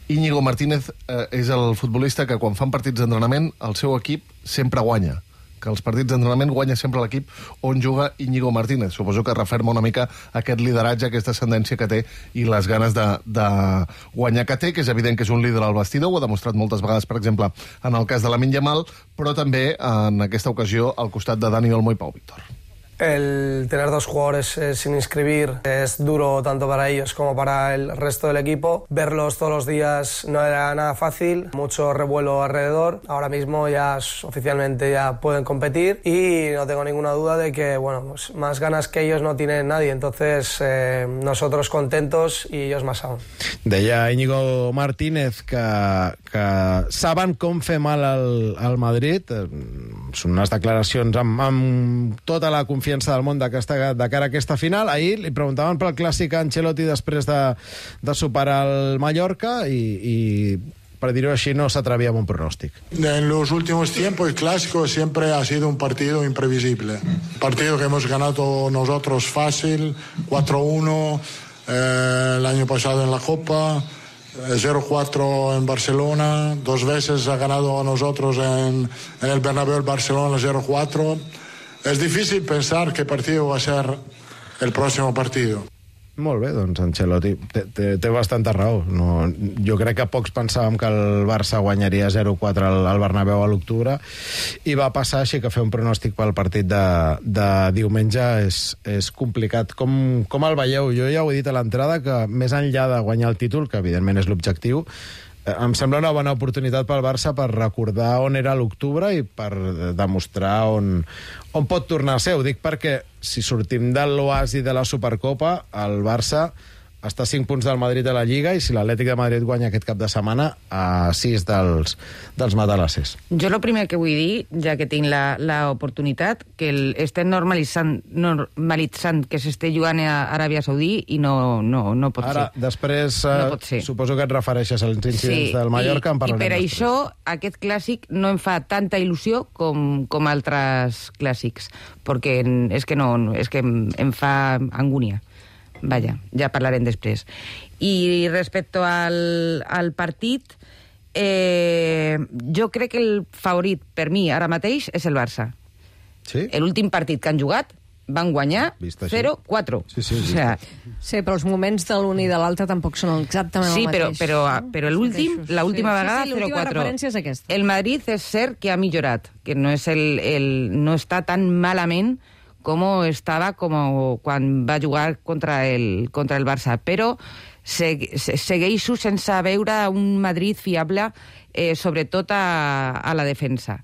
Íñigo Martínez uh, és el futbolista que quan fan partits d'entrenament el seu equip sempre guanya, que els partits d'entrenament guanya sempre l'equip on juga Íñigo Martínez. Suposo que referma una mica aquest lideratge, aquesta ascendència que té i les ganes de, de guanyar que té, que és evident que és un líder al vestidor, ho ha demostrat moltes vegades, per exemple, en el cas de Lamine Yamal, però també en aquesta ocasió al costat de Dani Olmo i Pau Víctor. El tener dos jugadores eh, sin inscribir es duro tanto para ellos como para el resto del equipo. Verlos todos los días no era nada fácil, mucho revuelo alrededor. Ahora mismo ya oficialmente ya pueden competir y no tengo ninguna duda de que bueno, pues más ganas que ellos no tiene nadie. Entonces eh, nosotros contentos y ellos más aún. Deia Íñigo Martínez que, que saben com fer mal al, al Madrid. Són unes declaracions amb, amb tota la confiança del món de, aquesta, de cara a aquesta final. Ahir li preguntaven pel clàssic a Ancelotti després de, de superar el Mallorca i, i per dir-ho així, no s'atrevia amb un pronòstic. En los últimos tiempos el clásico siempre ha sido un partido imprevisible. Un partido que hemos ganado nosotros fácil, cuatro uno eh, el año pasado en la Copa, cero cuatro en Barcelona, dos veces ha ganado a nosotros en, en el Bernabéu el Barcelona cero cuatro. Es difícil pensar qué partido va a ser el próximo partido. Molt bé, doncs Ancelotti té, té, té bastanta raó. No, jo crec que pocs pensàvem que el Barça guanyaria zero quatre al, al Bernabéu a l'octubre i va passar, així que fer un pronòstic pel partit de, de diumenge és, és complicat. Com, com el veieu? Jo ja ho he dit a l'entrada que més enllà de guanyar el títol, que evidentment és l'objectiu, em sembla una bona oportunitat pel Barça per recordar on era l'octubre i per demostrar on, on pot tornar a ser. Ho dic perquè si sortim de l'oasi de la Supercopa, el Barça està a cinc punts del Madrid a la Lliga, i si l'Atlètic de Madrid guanya aquest cap de setmana, a sis dels, dels matalasses. Jo el primer que vull dir, ja que tinc l'oportunitat, que el, estem normalitzant, normalitzant que s'esté jugant a Aràbia Saudí i no, no, no pot Ara, ser. després, no pot ser. Suposo que et refereixes als incidents sí, del Mallorca, i, en parlarem i per després. això aquest clàssic no em fa tanta il·lusió com, com altres clàssics, perquè és que, no, és que em, em fa angúnia. Vaja, ja parlarem després. I respecte al, al partit, eh, jo crec que el favorit per mi ara mateix és el Barça. Sí? L'últim partit que han jugat van guanyar zero quatre. Sí, sí, o sea, sí, però els moments de l'un i de l'altre tampoc són exactament sí, el però, mateix. però, però l'últim, l'última sí, vegada sí, sí, zero quatre. l'última referència és aquesta. El Madrid és cert que ha millorat, que no, és el, el, no està tan malament com estava com quan va jugar contra el, contra el Barça, però se, se, segueixo sense veure un Madrid fiable, eh, sobretot a, a la defensa.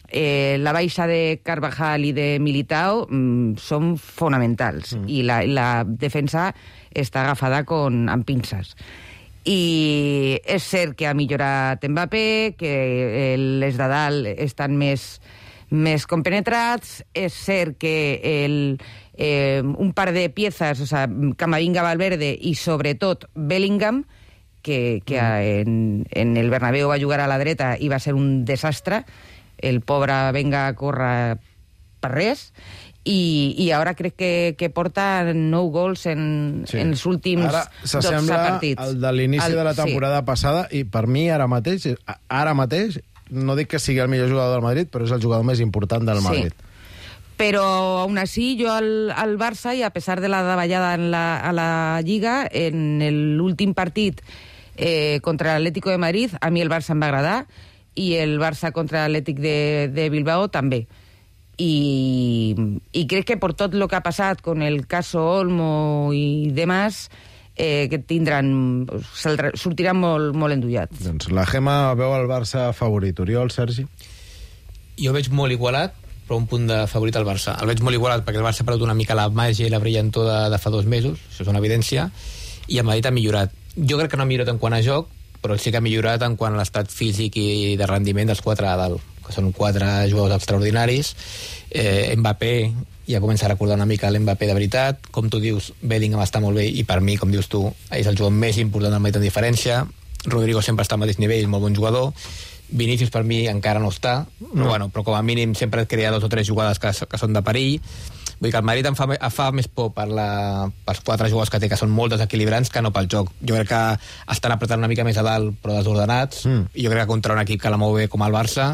Eh, la baixa de Carvajal i de Militao mm, són fonamentals, mm. i la, la defensa està agafada con, amb pinces. I és cert que ha millorat Mbappé, que eh, les de dalt estan més més compenetrats, és cert que el, eh, un par de piezas, o sea, Camavinga, Valverde i sobretot Bellingham, que, que en, en el Bernabéu va jugar a la dreta i va ser un desastre, el pobre venga a córrer per res, i, i ara crec que, que porta nou gols en, sí. en els últims ara dotze partits. Ara s'assembla al de l'inici el, de la temporada sí. passada, i per mi ara mateix, ara mateix, no dic que sigui el millor jugador del Madrid, però és el jugador més important del Madrid. Sí. Però aún así jo al, al Barça, i a pesar de la davallada en la, a la Lliga, en l'últim partit eh, contra l'Atlético de Madrid, a mi el Barça em va agradar, i el Barça contra l'Atlètic de, de Bilbao també. I, i crec que per tot el que ha passat con el caso Olmo i demás, eh, que tindran, sortiran molt, molt endullats. Doncs la Gemma veu el Barça favorit. Oriol, Sergi? Jo veig molt igualat, però un punt de favorit al Barça. El veig molt igualat perquè el Barça ha perdut una mica la màgia i la brillantor de, de fa dos mesos, això és una evidència, i el Madrid ha millorat. Jo crec que no ha millorat en quant a joc, però sí que ha millorat en quant a l'estat físic i de rendiment dels quatre a dalt, que són quatre jugadors extraordinaris. Eh, Mbappé ja comença a recordar una mica l'Mbappé de veritat. Com tu dius, Bellingham està molt bé, i per mi, com dius tu, és el jugador més important del Madrid en diferència. Rodrigo sempre està al mateix nivell, molt bon jugador. Vinícius per mi encara no està, no. Però, bueno, però com a mínim sempre crea dos o tres jugades que, que són de perill. Vull dir que el Madrid em fa, em fa més por per la, pels quatre jugadors que té, que són molt desequilibrants, que no pel joc. Jo crec que estan apretant una mica més a dalt, però desordenats, mm. i jo crec que contra un equip que la mou bé com el Barça,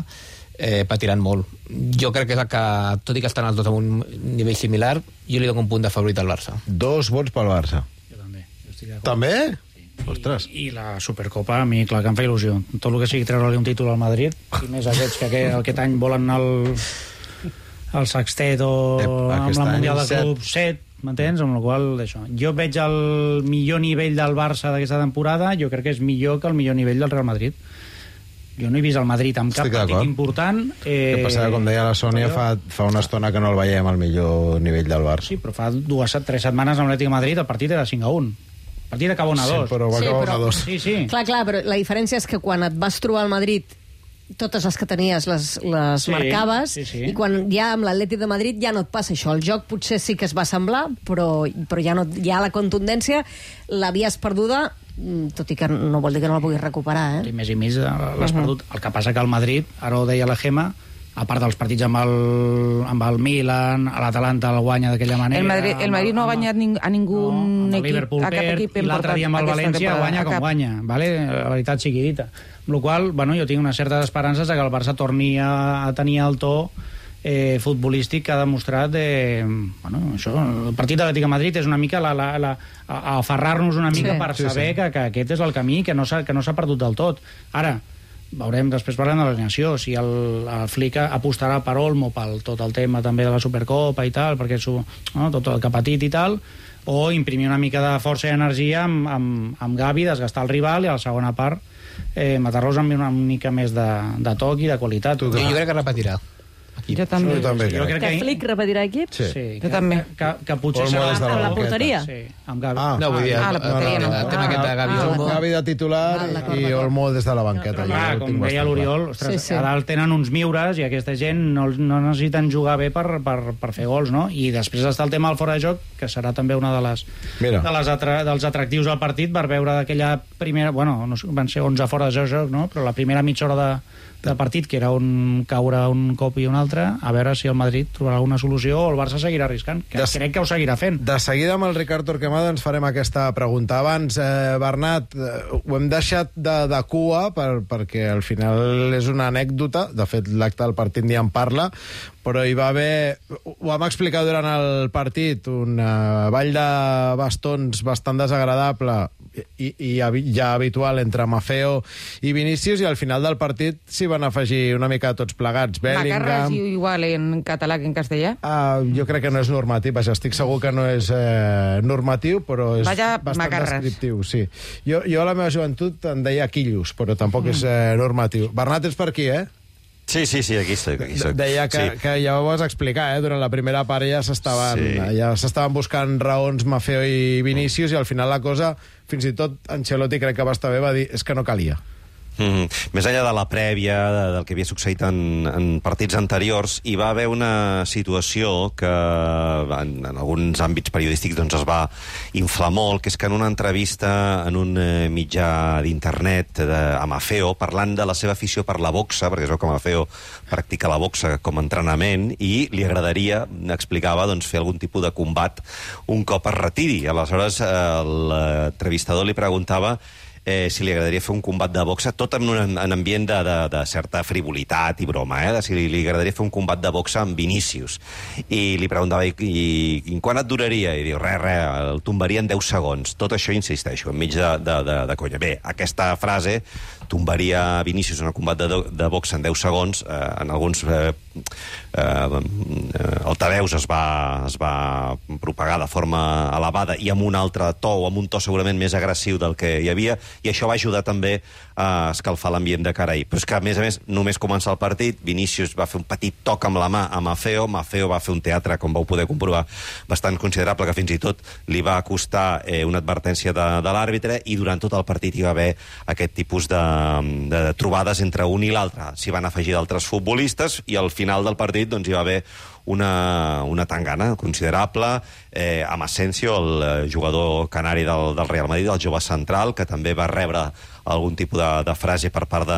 eh, patiran molt. Jo crec que, és que, tot i que estan els dos a un nivell similar, jo li dono un punt de favorit al Barça. Dos vots pel Barça. Jo també. Jo estic d'acord. També? Sí. Ostres. I, I la Supercopa, a mi, clar, que em fa il·lusió. Tot el que sigui treure-li un títol al Madrid, i més aquests que aquest, aquest any volen anar al, al Sextet o Ep, amb la Mundial de Club set, m'entens? Amb la qual això. Jo veig el millor nivell del Barça d'aquesta temporada, jo crec que és millor que el millor nivell del Real Madrid. Jo no he vist el Madrid amb cap partit important. Eh... Què passa? Com deia la Sònia, fa, fa una estona que no el veiem al millor nivell del Barça. Sí, però fa dues, tres setmanes amb l'Atlètic de Madrid el partit era cinc a un. El partit acaba un a dos. Sí, però va sí, acabar però... un a dos. Sí, sí. Clar, clar, però la diferència és que quan et vas trobar al Madrid, totes les que tenies les, les sí, marcaves, sí, sí. i quan ja amb l'Atlètic de Madrid ja no et passa això. El joc potser sí que es va semblar, però, però ja, no, ja la contundència l'havies perduda, tot i que no vol dir que no la puguis recuperar, eh? I més i més l'has uh -huh. perdut. El que passa que el Madrid, ara ho deia la Gemma, a part dels partits amb el, amb el Milan, a l'Atalanta el guanya d'aquella manera... El Madrid, el Madrid no ha guanyat ning, a ningú no, equip, Liverpool a cap perd, equip i l'altre dia amb el València guanya com cap. guanya, vale? La veritat sigui dita. Amb la qual cosa, bueno, jo tinc unes certes esperances de que el Barça torni a, a tenir el to eh, futbolístic que ha demostrat de, bueno, això, el partit de l'Atlètic de Madrid és una mica la, la, la, a aferrar-nos una mica sí, per sí, saber sí. Que, que aquest és el camí, que no s'ha que no s'ha perdut del tot. Ara, veurem, després parlem de l'alineació, si el, el Flick apostarà per Olmo, pel tot el tema també de la Supercopa i tal, perquè és no, tot el que ha patit i tal, o imprimir una mica de força i energia amb, amb, amb Gavi, desgastar el rival, i a la segona part eh, matar-los amb una mica més de, de toc i de qualitat. Jo, jo crec que repetirà equip. Jo també. Jo també crec. Que Flick repetirà equip? Sí. Sí, Jo també. Que, que potser Olmo serà... des de la Amb la banqueta. porteria? Sí, amb Gavi. Ah, No, vull dir, Ah, la porteria el, no. el tema aquest de Gavi Ah, Olmo... Gavi de titular Ah, d'acord, i d'acord. Olmo des de la banqueta. Però, Jo clar, ho com tinc deia bastant l'Oriol, clar. ostres, Sí, sí. a dalt tenen uns miures i aquesta gent no, no necessiten jugar bé per, per, per fer gols, no? I després està el tema del fora de joc, que serà també una de les, Mira. de les atra dels atractius al partit, per veure d'aquella primera... Bueno, no sé, van ser onze fora de joc, no? Però la primera mitja hora de, de partit, que era un caure un cop i un altre, a veure si el Madrid trobarà alguna solució o el Barça seguirà arriscant, que Des... crec que ho seguirà fent. De seguida amb el Ricard Torquemada ens farem aquesta pregunta. Abans, eh, Bernat, eh, ho hem deixat de, de cua per, perquè al final és una anècdota. De fet, l'acte del partit ni en parla, però hi va haver... Ho vam explicar durant el partit, un uh, ball de bastons bastant desagradable i, i ja habitual entre Maffeo i Vinícius, i al final del partit s'hi van afegir una mica tots plegats. Macarra Bellingham... es diu igual en català que en castellà? Uh, jo crec que no és normatiu, vaja, estic segur que no és eh, normatiu, però és Vaja, bastant macarres. descriptiu, sí. Jo, jo a la meva joventut em deia quillos, però tampoc és eh, normatiu. Bernat, ets per aquí, eh? Sí, sí, sí, aquí estic. Aquí soc. Deia que, sí. que ja ho vas explicar, eh? Durant la primera part ja s'estaven Sí. ja s'estaven buscant raons Maffeo i Vinícius, i al final la cosa, fins i tot Ancelotti crec que va estar bé, va dir, és que no calia. Mm-hmm. Més enllà de la prèvia, de, del que havia succeït en, en partits anteriors, hi va haver una situació que en, en alguns àmbits periodístics doncs, es va inflar molt, que és que en una entrevista en un eh, mitjà d'internet de, a Maffeo, parlant de la seva afició per la boxa, perquè es veu que Maffeo practica la boxa com a entrenament, i li agradaria, explicava, doncs, fer algun tipus de combat un cop es retiri. Aleshores, eh, l'entrevistador li preguntava Eh, si li agradaria fer un combat de boxa, tot en un en ambient de, de, de certa frivolitat i broma, eh? De si li, li agradaria fer un combat de boxa amb Vinícius. I li preguntava, i, i, i quan et duraria? I diu, res, res, el tombaria en deu segons. Tot això, insisteixo, enmig de, de, de, de conya. Bé, aquesta frase, tombaria Vinícius en un combat de, de boxa en deu segons, eh, en alguns eh, eh, altaveus es va, es va propagar de forma elevada i amb un altre to, o amb un to segurament més agressiu del que hi havia, i això va ajudar també a escalfar l'ambient de cara ahir. Però és que, a més a més, només començar el partit, Vinícius va fer un petit toc amb la mà a Maffeo, Maffeo va fer un teatre, com vau poder comprovar, bastant considerable, que fins i tot li va costar eh, una advertència de, de l'àrbitre, i durant tot el partit hi va haver aquest tipus de, de trobades entre un i l'altre. S'hi van afegir d'altres futbolistes, i al final del partit doncs, hi va haver una, una tangana considerable eh, amb Asensio, el jugador canari del, del Real Madrid, el jove central, que també va rebre algun tipus de, de frase per part de,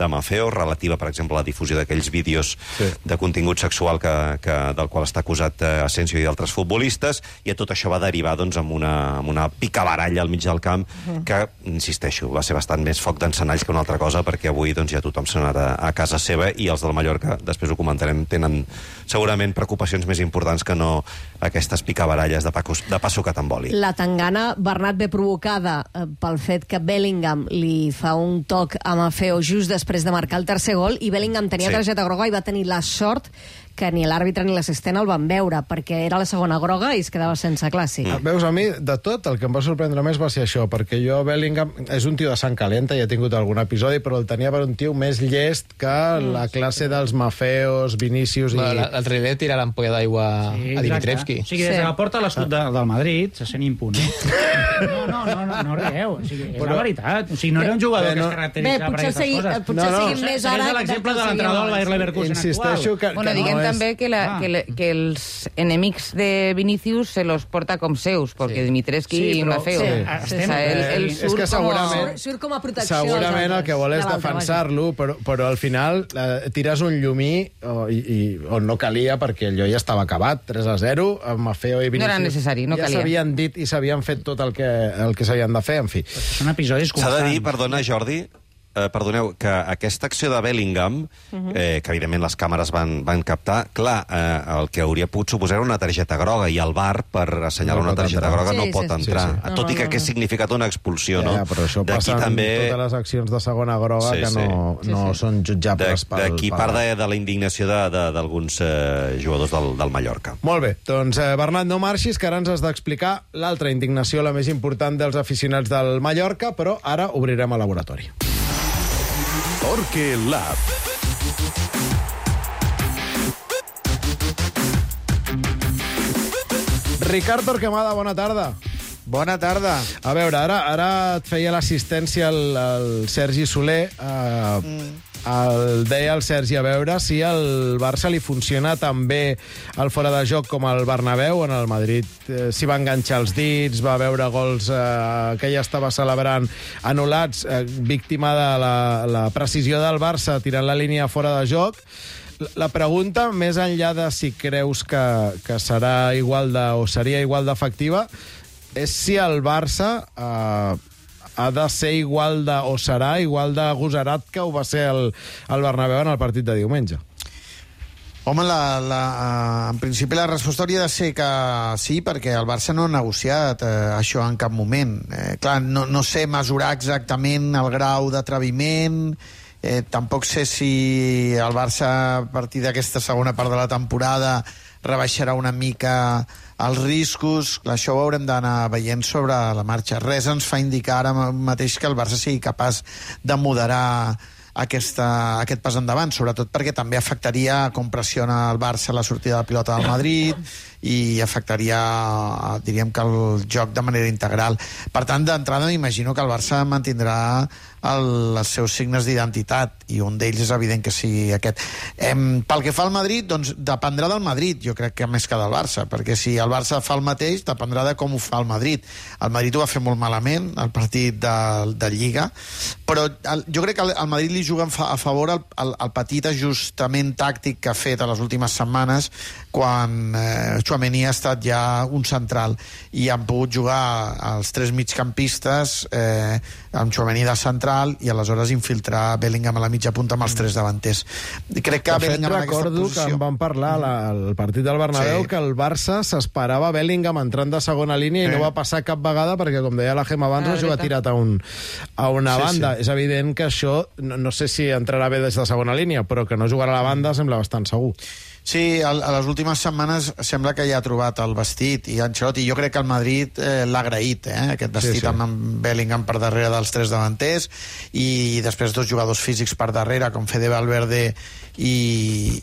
de Maffeo, relativa, per exemple, a la difusió d'aquells vídeos sí. de contingut sexual que, que, del qual està acusat eh, Asensio i d'altres futbolistes, i tot això va derivar doncs, amb, una, amb una picabaralla al mig del camp, uh -huh. que, insisteixo, va ser bastant més foc d'encenalls que una altra cosa, perquè avui doncs, ja tothom se n'anarà a casa seva, i els del Mallorca, després ho comentarem, tenen segurament preocupacions més importants que no aquestes picabaralles de, pacos, de passo que t'emboli. La tangana, Bernat, ve provocada eh, pel fet que Bellingham li fa un toc a Maffeo just després de marcar el tercer gol, i Bellingham tenia Sí. targeta groga i va tenir la sort que ni l'àrbitre ni l'assistent el van veure, perquè era la segona groga i es quedava sense clàssic. Mm. Veus, a mi, de tot, el que em va sorprendre més va ser això, perquè jo, Bellingham, és un tio de sang calenta, i he tingut algun episodi, però el tenia per un tio més llest que mm. la classe dels Maffeos, Vinícius i... Bueno, l'altre dia tira l'ampolla d'aigua Sí, a Dimitrevski. O sigui, des de la porta a l'escut de, del Madrid se sent impune. No, no, no, no, no rieu. O sigui, és Però- la veritat. O sigui, no era un jugador Bé, que no- es caracteritzava Bé, per potser aquestes segui- coses. potser seguim més ara Segueix que l'exemple que de seguíem l'entrenador del abans. Bayer Leverkusen Insisteixo actual. que, Bueno, que diguem no és... també que, la, Ah. que, le, que els enemics de Vinícius se los porta com seus, perquè Sí. Dimitrescu Sí, i però- Maffeo. sí, O estem- sea, ell, ell Eh, és surt que segurament- com... Surt com a protecció als Segurament el altres, que vol és de l'altre, defensar-lo, però, però al final eh, tires un llumí o, i, i, on no calia, perquè allò ja estava acabat, tres a zero, amb Maffeo i Vinícius. No era necessari, no ja calia. s'havien dit i s'havien fet tot el que, el que s'havien de fer, en fi. Són episodis S'ha constants. de dir, perdona, Jordi, eh, perdoneu, que aquesta acció de Bellingham, eh, que evidentment les càmeres van, van captar, clar, eh, el que hauria pogut suposar era una targeta groga, i el V A R, per assenyalar No una pot targeta entrar. groga, Sí, no sí, pot sí. entrar. Sí, sí. Tot No, i que no, hagués no. significat una expulsió, no? Ja, però això D'aquí passa també... en totes les accions de segona groga Sí, que sí. no, Sí, no sí. són jutjables pel... D'aquí pel- part de, de la indignació de- de- d'alguns eh, jugadors del, del Mallorca. Molt bé, doncs eh, Bernat, no marxis, que ara ens has d'explicar l'altra indignació, la més important dels aficionats del Mallorca, però ara obrirem el laboratori. Torque Lab. Ricard Torquemada, bona tarda. Bona tarda. A veure, ara, ara et feia l'assistència el, el Sergi Soler. Uh, mm. el, deia el Sergi a veure si al Barça li funciona tan bé el fora de joc com el Bernabéu. En el Madrid eh, s'hi va enganxar els dits, va veure gols eh, que ja estava celebrant anul·lats, eh, víctima de la, la precisió del Barça tirant la línia fora de joc. La pregunta, més enllà de si creus que, que serà igual de, o seria igual d'efectiva, és si el Barça eh, ha de ser igual de, o serà igual de agosarat que ho va ser el, el Bernabéu en el partit de diumenge. Home, la, la, en principi la resposta hauria de ser que sí, perquè el Barça no ha negociat eh, això en cap moment. Eh, clar, no, no sé mesurar exactament el grau d'atreviment. Eh, tampoc sé si el Barça, a partir d'aquesta segona part de la temporada, rebaixarà una mica els riscos. Això ho haurem d'anar veient sobre la marxa. Res ens fa indicar ara mateix que el Barça sigui capaç de moderar aquesta, aquest pas endavant, sobretot perquè també afectaria com pressiona el Barça la sortida de pilota del Madrid i afectaria, diríem que el joc de manera integral. Per tant, d'entrada m'imagino que el Barça mantindrà el, els seus signes d'identitat, i un d'ells és evident que sigui aquest. Em, pel que fa al Madrid, doncs dependrà del Madrid, jo crec que més que del Barça, perquè si el Barça fa el mateix, dependrà de com ho fa el Madrid. El Madrid ho va fer molt malament, el partit de, de Lliga, però el, jo crec que el Madrid li juga a favor el, el, el petit ajustament tàctic que ha fet a les últimes setmanes, quan eh, Tchouaméni ha estat ja un central i han pogut jugar els tres migcampistes eh, amb Tchouaméni de central i aleshores infiltrar Bellingham a la mitja punta amb els tres davanters. Crec que de fet, Bellingham en aquesta recordo posició... que en van parlar la, el partit del Bernabéu, sí, que el Barça s'esperava Bellingham entrant de segona línia, sí, i no va passar cap vegada perquè, com deia la Gemma abans, ah, es va tirat a, un, a una sí, banda. Sí. És evident que això, no, no sé si entrarà bé des de segona línia, però que no jugarà a la banda sembla bastant segur. Sí, a, a les últimes setmanes sembla que ja ha trobat el vestit, i Ancelotti, jo crec que el Madrid eh, l'ha agraït, eh, aquest vestit, sí, sí, amb Bellingham per darrere dels tres davanters i després dos jugadors físics per darrere com Fede Valverde i,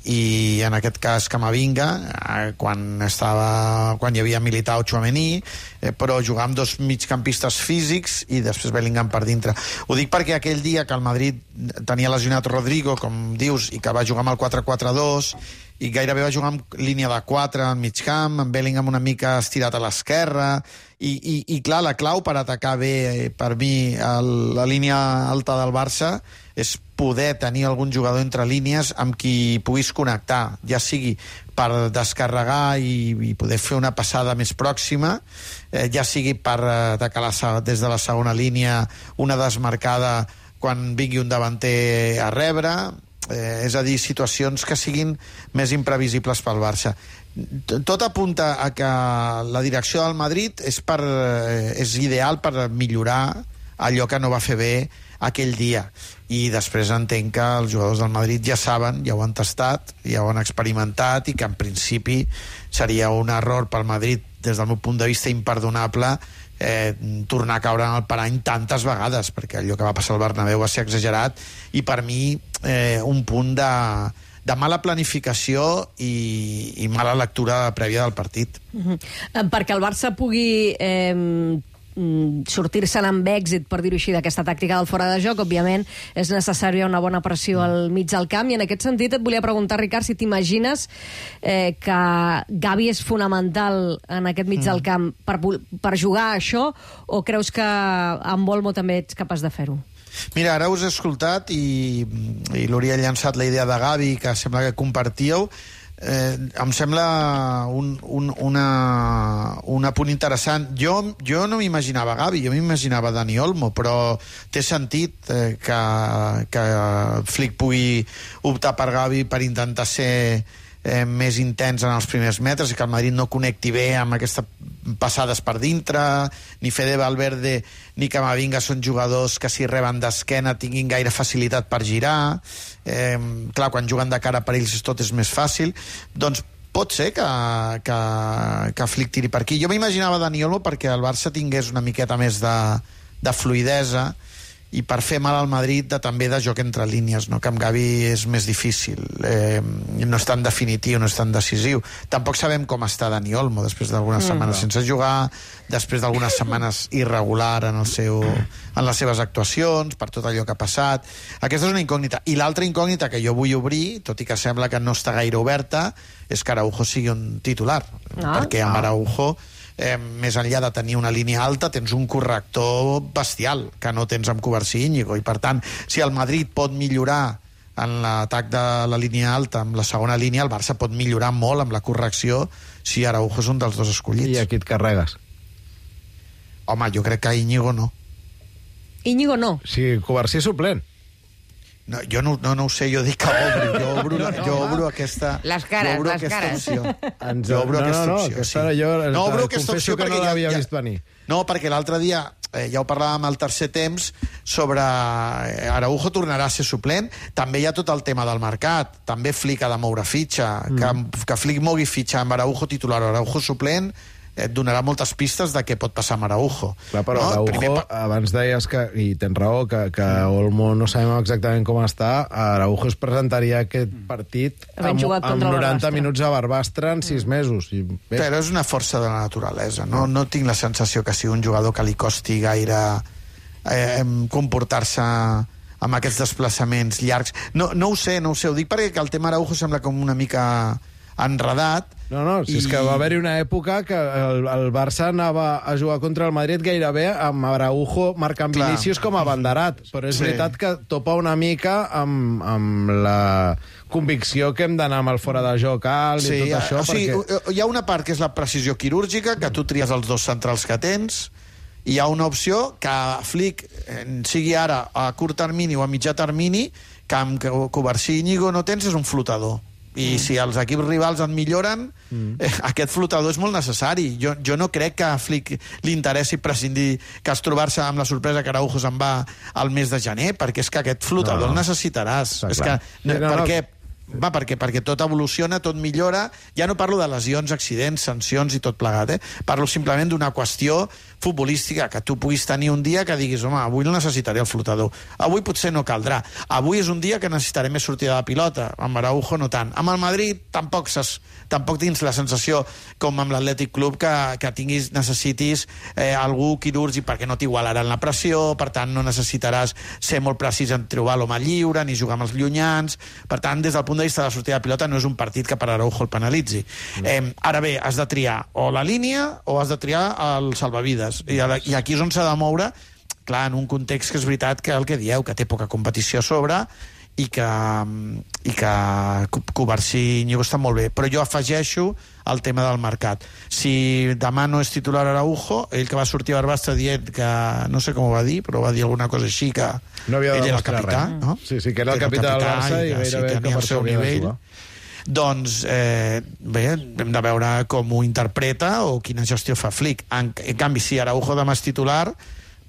i en aquest cas Camavinga, eh, quan estava quan hi havia Militao, Tchouaméni, eh, però jugar amb dos migcampistes físics i després Bellingham per dintre. Ho dic perquè aquell dia que el Madrid tenia lesionat Rodrigo, com dius, i que va jugar amb el quatre quatre dos i gairebé va jugar amb línia de quatre en mig camp, amb Bellingham una mica estirat a l'esquerra, i, i, i clar, la clau per atacar bé, per mi, el, la línia alta del Barça és poder tenir algun jugador entre línies amb qui puguis connectar, ja sigui per descarregar i, i poder fer una passada més pròxima, eh, ja sigui per atacar la, des de la segona línia una desmarcada quan vingui un davanter a rebre, eh, és a dir, situacions que siguin més imprevisibles pel Barça. Tot apunta a que la direcció del Madrid és, per, és ideal per millorar allò que no va fer bé aquell dia, i després entenc que els jugadors del Madrid ja saben, ja ho han tastat, ja ho han experimentat, i que en principi seria un error pel Madrid des del meu punt de vista imperdonable eh, tornar a caure en el parany tantes vegades, perquè allò que va passar al Bernabéu va ser exagerat, i per mi eh, un punt de, de mala planificació i, i mala lectura prèvia del partit. Uh-huh. Perquè el Barça pugui eh, sortir-se'n amb èxit, per dir-ho així, d'aquesta tàctica del fora de joc, òbviament és necessària una bona pressió al mig del camp, i en aquest sentit et volia preguntar, Ricard, si t'imagines eh, que Gavi és fonamental en aquest mig mm. del camp per, per jugar a això, o creus que amb Olmo també ets capaç de fer-ho? Mira, ara us he escoltat i, i l'Uri ha llançat la idea de Gavi, que sembla que compartíeu. Eh, em sembla un, un, una, un apunt interessant. Jo, jo no m'imaginava Gavi, jo m'imaginava Dani Olmo, però té sentit eh, que, que Flick pugui optar per Gavi per intentar ser eh, més intens en els primers metres i que el Madrid no connecti bé amb aquestes passades per dintre. Ni Fede Valverde ni Camavinga són jugadors que si reben d'esquena tinguin gaire facilitat per girar. Eh, clar, quan juguen de cara per ells tot és més fàcil. Doncs pot ser que, que, que Flick tiri per aquí. Jo m'imaginava Dani Olmo perquè el Barça tingués una miqueta més de, de fluidesa i per fer mal al Madrid de, també de joc entre línies, no? Que amb Gavi és més difícil, eh, no és tan definitiu, no és tan decisiu. Tampoc sabem com està Dani Olmo després d'algunes mm, setmanes no. sense jugar, després d'algunes setmanes irregular en, el seu, en les seves actuacions, per tot allò que ha passat. Aquesta és una incògnita. I l'altra incògnita que jo vull obrir, tot i que sembla que no està gaire oberta, és que Araujo sigui un titular, ah, perquè amb Araujo Eh, més enllà de tenir una línia alta tens un corrector bestial que no tens amb Covarsí i Íñigo, i per tant si el Madrid pot millorar en l'atac de la línia alta, amb la segona línia el Barça pot millorar molt amb la correcció si Araujo és un dels dos escollits. I aquí et carregues? Home, jo crec que Íñigo no. Íñigo no? Si Covarsí és suplent. No, jo no, no, no ho sé, jo dic que obro, jo obro, no, no, jo obro aquesta... Les cares, jo obro les aquesta cares. Opció. Ens... Jo obro no, aquesta no, no, opció, aquesta sí. jo No obro aquesta opció que perquè no l'havia ja, vist venir. No, perquè l'altre dia, eh, ja ho parlàvem al tercer temps, sobre eh, Araujo tornarà a ser suplent. També hi ha tot el tema del mercat. També Flick ha de moure fitxa. Mm. Que, que Flick mogui fitxa amb Araujo titular o Araujo suplent et donarà moltes pistes de què pot passar amb Araujo. Clar, però no? Araujo, Primer... abans deies que, i tens raó, que, que Olmo no sabem exactament com està, Araujo es presentaria aquest partit amb, amb noranta minuts a Barbastre en sis mesos. I bé. Però és una força de la naturalesa. No, no tinc la sensació que sigui un jugador que li costi gaire eh, comportar-se amb aquests desplaçaments llargs. No, no ho sé, no ho sé. Ho dic perquè el tema Araujo sembla com una mica enredat. No, no, si I... és que va haver-hi una època que el, el Barça anava a jugar contra el Madrid gairebé amb Araujo marcant Clar. Vinícius com a banderat, però és sí. veritat que topa una mica amb, amb la convicció que hem d'anar amb el fora de joc alt sí, i tot això. O sigui, perquè... hi ha una part que és la precisió quirúrgica, que tu tries els dos centrals que tens, i hi ha una opció que Flick sigui ara a curt termini o a mitjà termini, que amb Covarsí i Íñigo no tens, és un flotador. I mm. si els equips rivals en milloren, mm. eh, aquest flotador és molt necessari. Jo, jo no crec que a Flick li interessi prescindir, que es trobar-se amb la sorpresa que Araujo se'n va al mes de gener, perquè és que aquest flotador no, no. el necessitaràs. Està és clar. que, no, no, perquè, va, perquè, perquè tot evoluciona, tot millora. Ja no parlo de lesions, accidents, sancions i tot plegat, eh? Parlo simplement d'una qüestió futbolística, que tu puguis tenir un dia que diguis, home, avui no necessitaré el flotador, avui potser no caldrà, avui és un dia que necessitaré més sortida de pilota, amb Araujo no tant, amb el Madrid tampoc, ses, tampoc tens la sensació com amb l'Atlètic Club que, que tinguis, necessitis eh, algú quirúrgic perquè no t'igualaran la pressió, per tant no necessitaràs ser molt precís en trobar l'home lliure ni jugar amb els llunyans, per tant des del punt de vista de la sortida de pilota no és un partit que per Araujo el penalitzi. Mm. Eh, ara bé, has de triar o la línia o has de triar el salvavides. I, i aquí és on s'ha de moure, clar, en un context que és veritat que el que dieu, que té poca competició a sobre i que, i que Covarsí i Íñigo estan molt bé. Però jo afegeixo el tema del mercat. Si demà no és titular Araujo, ell que va sortir a Barbastre dient que, no sé com ho va dir, però va dir alguna cosa així, que no havia ell era el capità, res. no? Sí, sí, que era el capità, capità del Barça i, i gairebé sí, tenia el seu nivell. Doncs, eh, bé, hem de veure com ho interpreta o quina gestió fa Flick. En, en canvi, si Araujo demà és titular,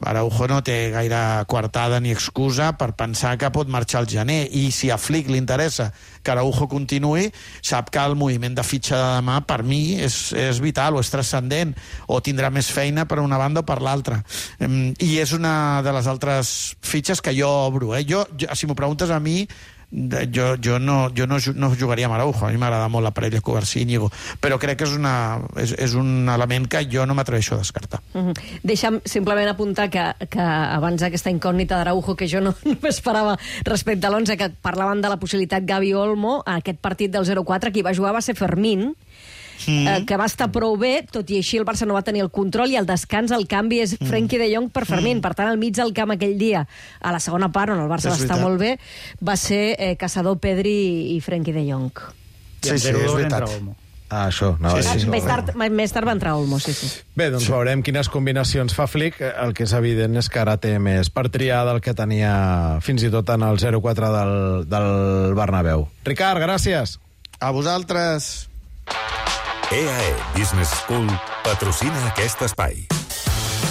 Araujo no té gaire coartada ni excusa per pensar que pot marxar al gener, i si a Flick li interessa que Araujo continuï, sap que el moviment de fitxa de demà per mi és, és vital o és transcendent, o tindrà més feina per una banda o per l'altra. I és una de les altres fitxes que jo obro. Eh? Jo, jo, si m'ho preguntes a mi, jo, jo, no, jo no, no jugaria amb Araujo. A mi m'agrada molt la parella Covarsí-Íñigo, però crec que és, una, és, és un element que jo no m'atreveixo a descartar. Uh -huh. Deixa'm simplement apuntar que, que abans d'aquesta incògnita d'Araujo, que jo no, no m'esperava respecte a l'onze, que parlaven de la possibilitat Gavi-Olmo, aquest partit del zero quatre, qui va jugar va ser Fermín, Mm. Eh, que va estar prou bé, tot i així el Barça no va tenir el control, i el descans, el canvi és mm. Frenkie de Jong per Fermín. Mm. Per tant, al mig del camp aquell dia, a la segona part, on el Barça va estar molt bé, va ser eh, Caçador, Pedri i Frenkie de Jong. Sí, sí, és veritat. Ah, això. No, sí, sí, sí, més, tard, més tard va entrar Olmo, sí, sí. Bé, doncs veurem quines combinacions fa Flick. El que és evident és que ara té més per triar del que tenia fins i tot en el zero quatre del, del Bernabéu. Ricard, gràcies. A vosaltres. E A E Business School patrocina aquest espai.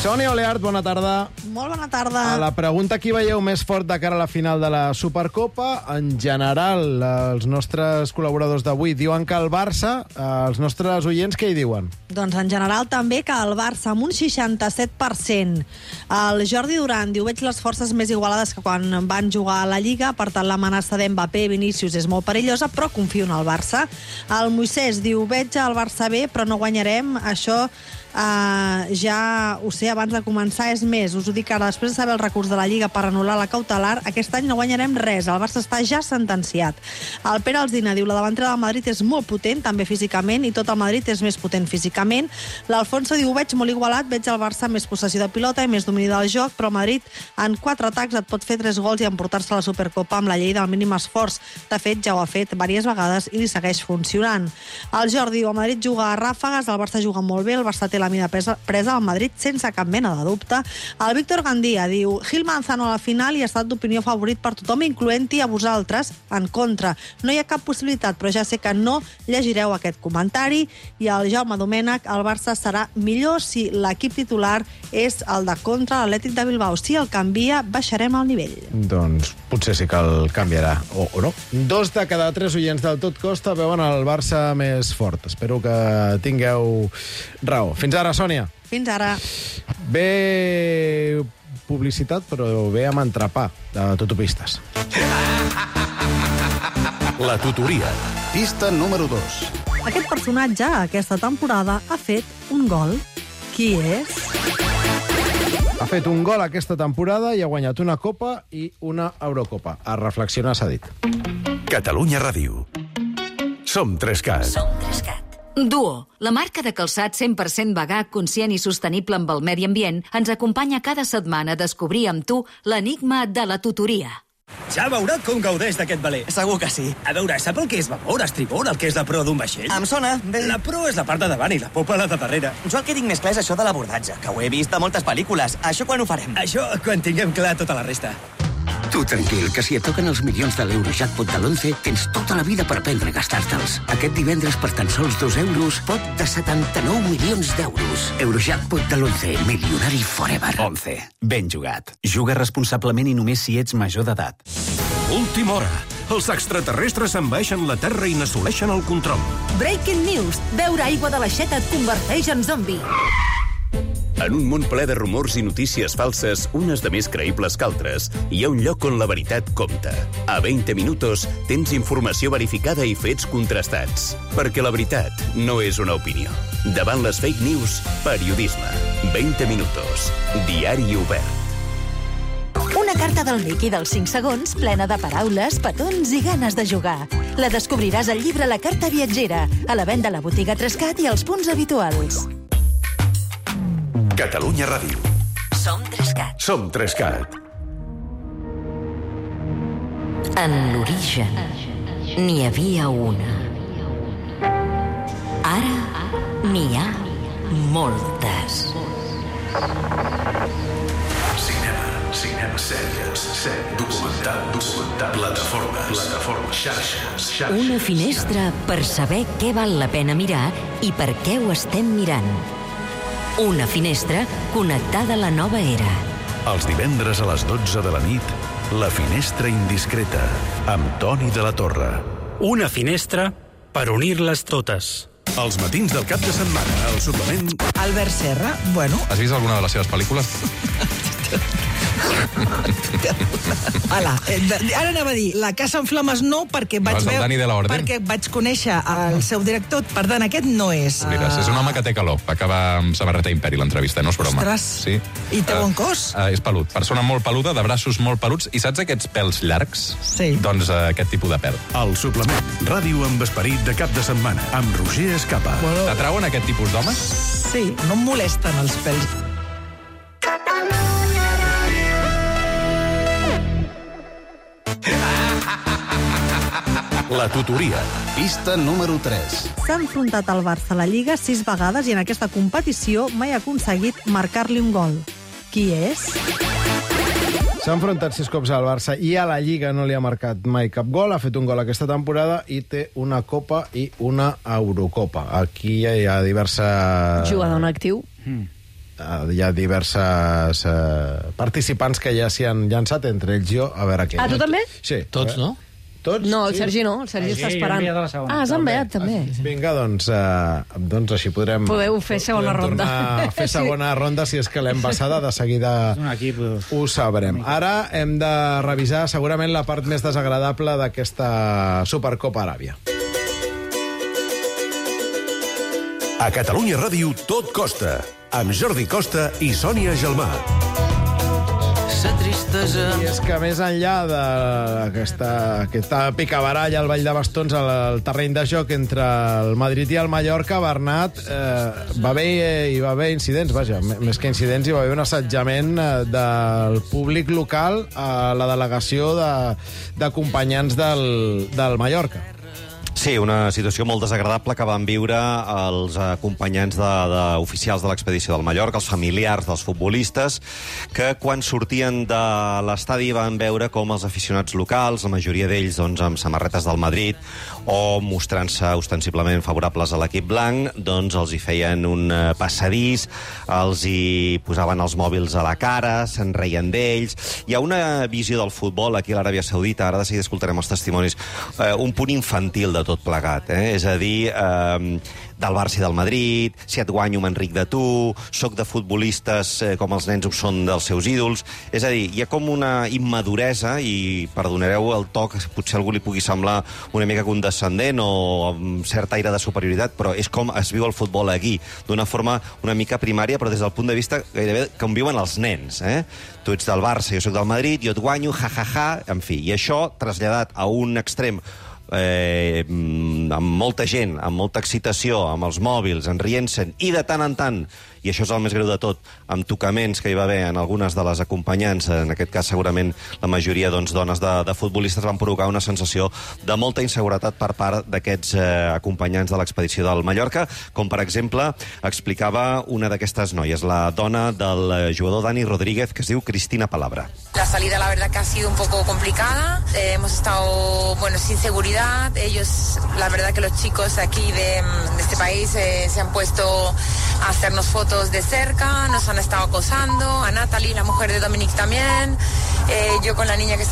Sònia Oleart, bona tarda. Molt bona tarda. A la pregunta qui veieu més fort de cara a la final de la Supercopa, en general, els nostres col·laboradors d'avui diuen que el Barça, els nostres oients, què hi diuen? Doncs en general també que el Barça amb un seixanta-set per cent. El Jordi Duran diu, veig les forces més igualades que quan van jugar a la Lliga, per tant l'amenaça d'Mbappé i Vinícius és molt perillosa, però confio en el Barça. El Moisès diu, veig el Barça bé, però no guanyarem, això Uh, ja ho sé abans de començar, és més, us ho dic ara, després de saber el recurs de la Lliga per anul·lar la cautelar, aquest any no guanyarem res, el Barça està ja sentenciat. El Pere Alsina diu, la davantera del Madrid és molt potent, també físicament, i tot el Madrid és més potent físicament. L'Alfonso diu, veig molt igualat, veig el Barça més possessió de pilota i més domini del joc, però el Madrid en quatre atacs et pot fer tres gols i emportar-se la Supercopa amb la llei del mínim esforç. De fet, ja ho ha fet diverses vegades i li segueix funcionant. El Jordi diu, el Madrid juga a ràfegues, el Barça juga molt bé, el Barça té la mida presa, presa al Madrid sense cap mena de dubte. El Víctor Gandia diu, Gil Manzano a la final i ha estat d'opinió favorit per tothom, incloent-hi a vosaltres, en contra. No hi ha cap possibilitat, però ja sé que no llegireu aquest comentari. I el Jaume Domènech, el Barça serà millor si l'equip titular és el de contra l'Atlètic de Bilbao. Si el canvia, baixarem el nivell. Doncs potser sí que el canviarà, o, o no. Dos de cada tres oients del Tot Costa veuen el Barça més fort. Espero que tingueu raó. Fins ara, Sònia. Fins ara. Bé publicitat, però bé amb entrepà de tutopistes. La tutoria. Pista número dos. Aquest personatge, aquesta temporada, ha fet un gol. Qui és? Ha fet un gol aquesta temporada i ha guanyat una Copa i una Eurocopa. A reflexionar s'ha dit. Catalunya Ràdio. Som tres cat. Som tres cat. Duo, la marca de calçat cent per cent vegà, conscient i sostenible amb el medi ambient, ens acompanya cada setmana a descobrir amb tu l'enigma de la tutoria. Ja veurà com gaudeix d'aquest veler. Segur que sí. A veure, sap el que és babor, estribor, el que és la proa d'un vaixell? Em sona, bé. La proa és la part de davant i la popa la de darrere. Jo el que tinc més clar és això de l'abordatge, que ho he vist a moltes pel·lícules. Això quan ho farem? Això quan tinguem clar tota la resta. Tu tranquil, que si et toquen els milions de l'Eurojackpot de l'once, tens tota la vida per aprendre a gastar-te'ls. Aquest divendres, per tan sols dos euros, pot de setanta-nou milions d'euros. Eurojackpot de l'once, milionari forever. once. Ben jugat. Juga responsablement i només si ets major d'edat. Última hora. Els extraterrestres envaeixen la Terra i n'assoleixen el control. Breaking news. Beure aigua de l'aixeta et converteix en zombi. En un món ple de rumors i notícies falses, unes de més creïbles que altres, hi ha un lloc on la veritat compta. A veinte minutos tens informació verificada i fets contrastats. Perquè la veritat no és una opinió. Davant les fake news, periodisme. veinte minutos. Diari obert. Una carta del Mickey dels cinc segons, plena de paraules, petons i ganes de jugar. La descobriràs al llibre La carta viatgera, a la venda a la botiga tres cat i als punts habituals. Catalunya Ràdio. Som tres cat. Som tres cat. En l'origen n'hi havia una. Ara n'hi ha moltes. Cinema, cinema, sèries, sèries, documental, documental, plataformes, plataformes, xarxes, xarxes. Una finestra per saber què val la pena mirar i per què ho estem mirant. Una finestra connectada a la nova era. Els divendres a les dotze de la nit, La finestra indiscreta, amb Toni de la Torre. Una finestra per unir-les totes. Els matins del cap de setmana, al suplement... Albert Serra, bueno... Has vist alguna de les seves pel·lícules? Hola, ara anava a dir, La casa en flames no, perquè vaig, no, veu... Dani de la Orden. perquè vaig conèixer el seu director, per tant, aquest no és. Mires, és un home que té calor, va acabar amb samarreta Imperi l'entrevista, no és broma. Ostres, sí. I té bon cos? Uh, uh, és pelut, persona molt peluda, de braços molt peluts, i saps aquests pèls llargs? Sí. Doncs uh, aquest tipus de pèl. El suplement, ràdio amb esperit de cap de setmana, amb Roger Escapa. Bueno... T'atrauen aquest tipus d'homes? Sí, no em molesten els pèls. La tutoria. Pista número tres. S'ha enfrontat al Barça a la Lliga sis vegades i en aquesta competició mai ha aconseguit marcar-li un gol. Qui és? S'ha enfrontat sis cops al Barça i a la Lliga no li ha marcat mai cap gol. Ha fet un gol aquesta temporada i té una Copa i una Eurocopa. Aquí hi ha diverses... Jugador en actiu. Mm. hi ha diverses eh, participants que ja s'hi han llançat, entre ells jo, a veure què. Ah, tu també? Sí. Tots, no? Tots? No, el sí. Sergi no, el Sergi Sí, està jo he esperant. enviat a la segona. Ah, has enviat també. Vinga, doncs, eh, doncs així podrem... Podeu fer segona podem ronda. tornar a fer segona ronda, si és que l'hem passada, de seguida Un equip... ho sabrem. Ara hem de revisar segurament la part més desagradable d'aquesta Supercopa Aràbia. A Catalunya Ràdio tot costa, amb Jordi Costa i Sònia Gelmà. I és que més enllà d'aquesta aquesta picabaralla al Vall de Bastons, al, al terreny de joc entre el Madrid i el Mallorca, Bernat, eh, va haver, eh, hi va haver incidents, vaja, més que incidents, hi va haver un assetjament eh, del públic local a la delegació de- d'acompanyants del, del Mallorca. Sí, una situació molt desagradable que van viure els acompanyants de, de oficials de l'expedició del Mallorca, els familiars dels futbolistes, que quan sortien de l'estadi van veure com els aficionats locals, la majoria d'ells doncs, amb samarretes del Madrid o mostrant-se ostensiblement favorables a l'equip blanc, doncs els hi feien un eh, passadís, els hi posaven els mòbils a la cara, se'n reien d'ells. Hi ha una visió del futbol aquí a l'Aràbia Saudita, ara de seguida escoltarem els testimonis, eh, un punt infantil de tot plegat, eh? És a dir, eh, del Barça i del Madrid, si et guanyo m'enric de tu, soc de futbolistes eh, com els nens ho són dels seus ídols. És a dir, hi ha com una immaduresa, i perdonareu el to, que potser a algú li pugui semblar una mica condescendent o amb cert aire de superioritat, però és com es viu el futbol aquí, d'una forma una mica primària, però des del punt de vista gairebé com viuen els nens. Eh? Tu ets del Barça, jo soc del Madrid, jo et guanyo, ja, ja, ja, en fi. I això, traslladat a un extrem eh, amb molta gent, amb molta excitació, amb els mòbils, enrient-se'n, i de tant en tant, i això és el més greu de tot, amb tocaments que hi va haver en algunes de les acompanyants, en aquest cas segurament la majoria doncs, dones de, de futbolistes, van provocar una sensació de molta inseguretat per part d'aquests eh, acompanyants de l'expedició del Mallorca, com per exemple explicava una d'aquestes noies, la dona del jugador Dani Rodríguez, que es diu Cristina Palabra. La salida la verdad que ha sido un poco complicada, eh, hemos estado bueno, sin seguridad, ellos, la verdad que los chicos aquí de, de este país eh, se han puesto a hacernos fotos de cerca, nos han estado acosando, a Natalie, la mujer de Dominic también, eh, yo con la niña que está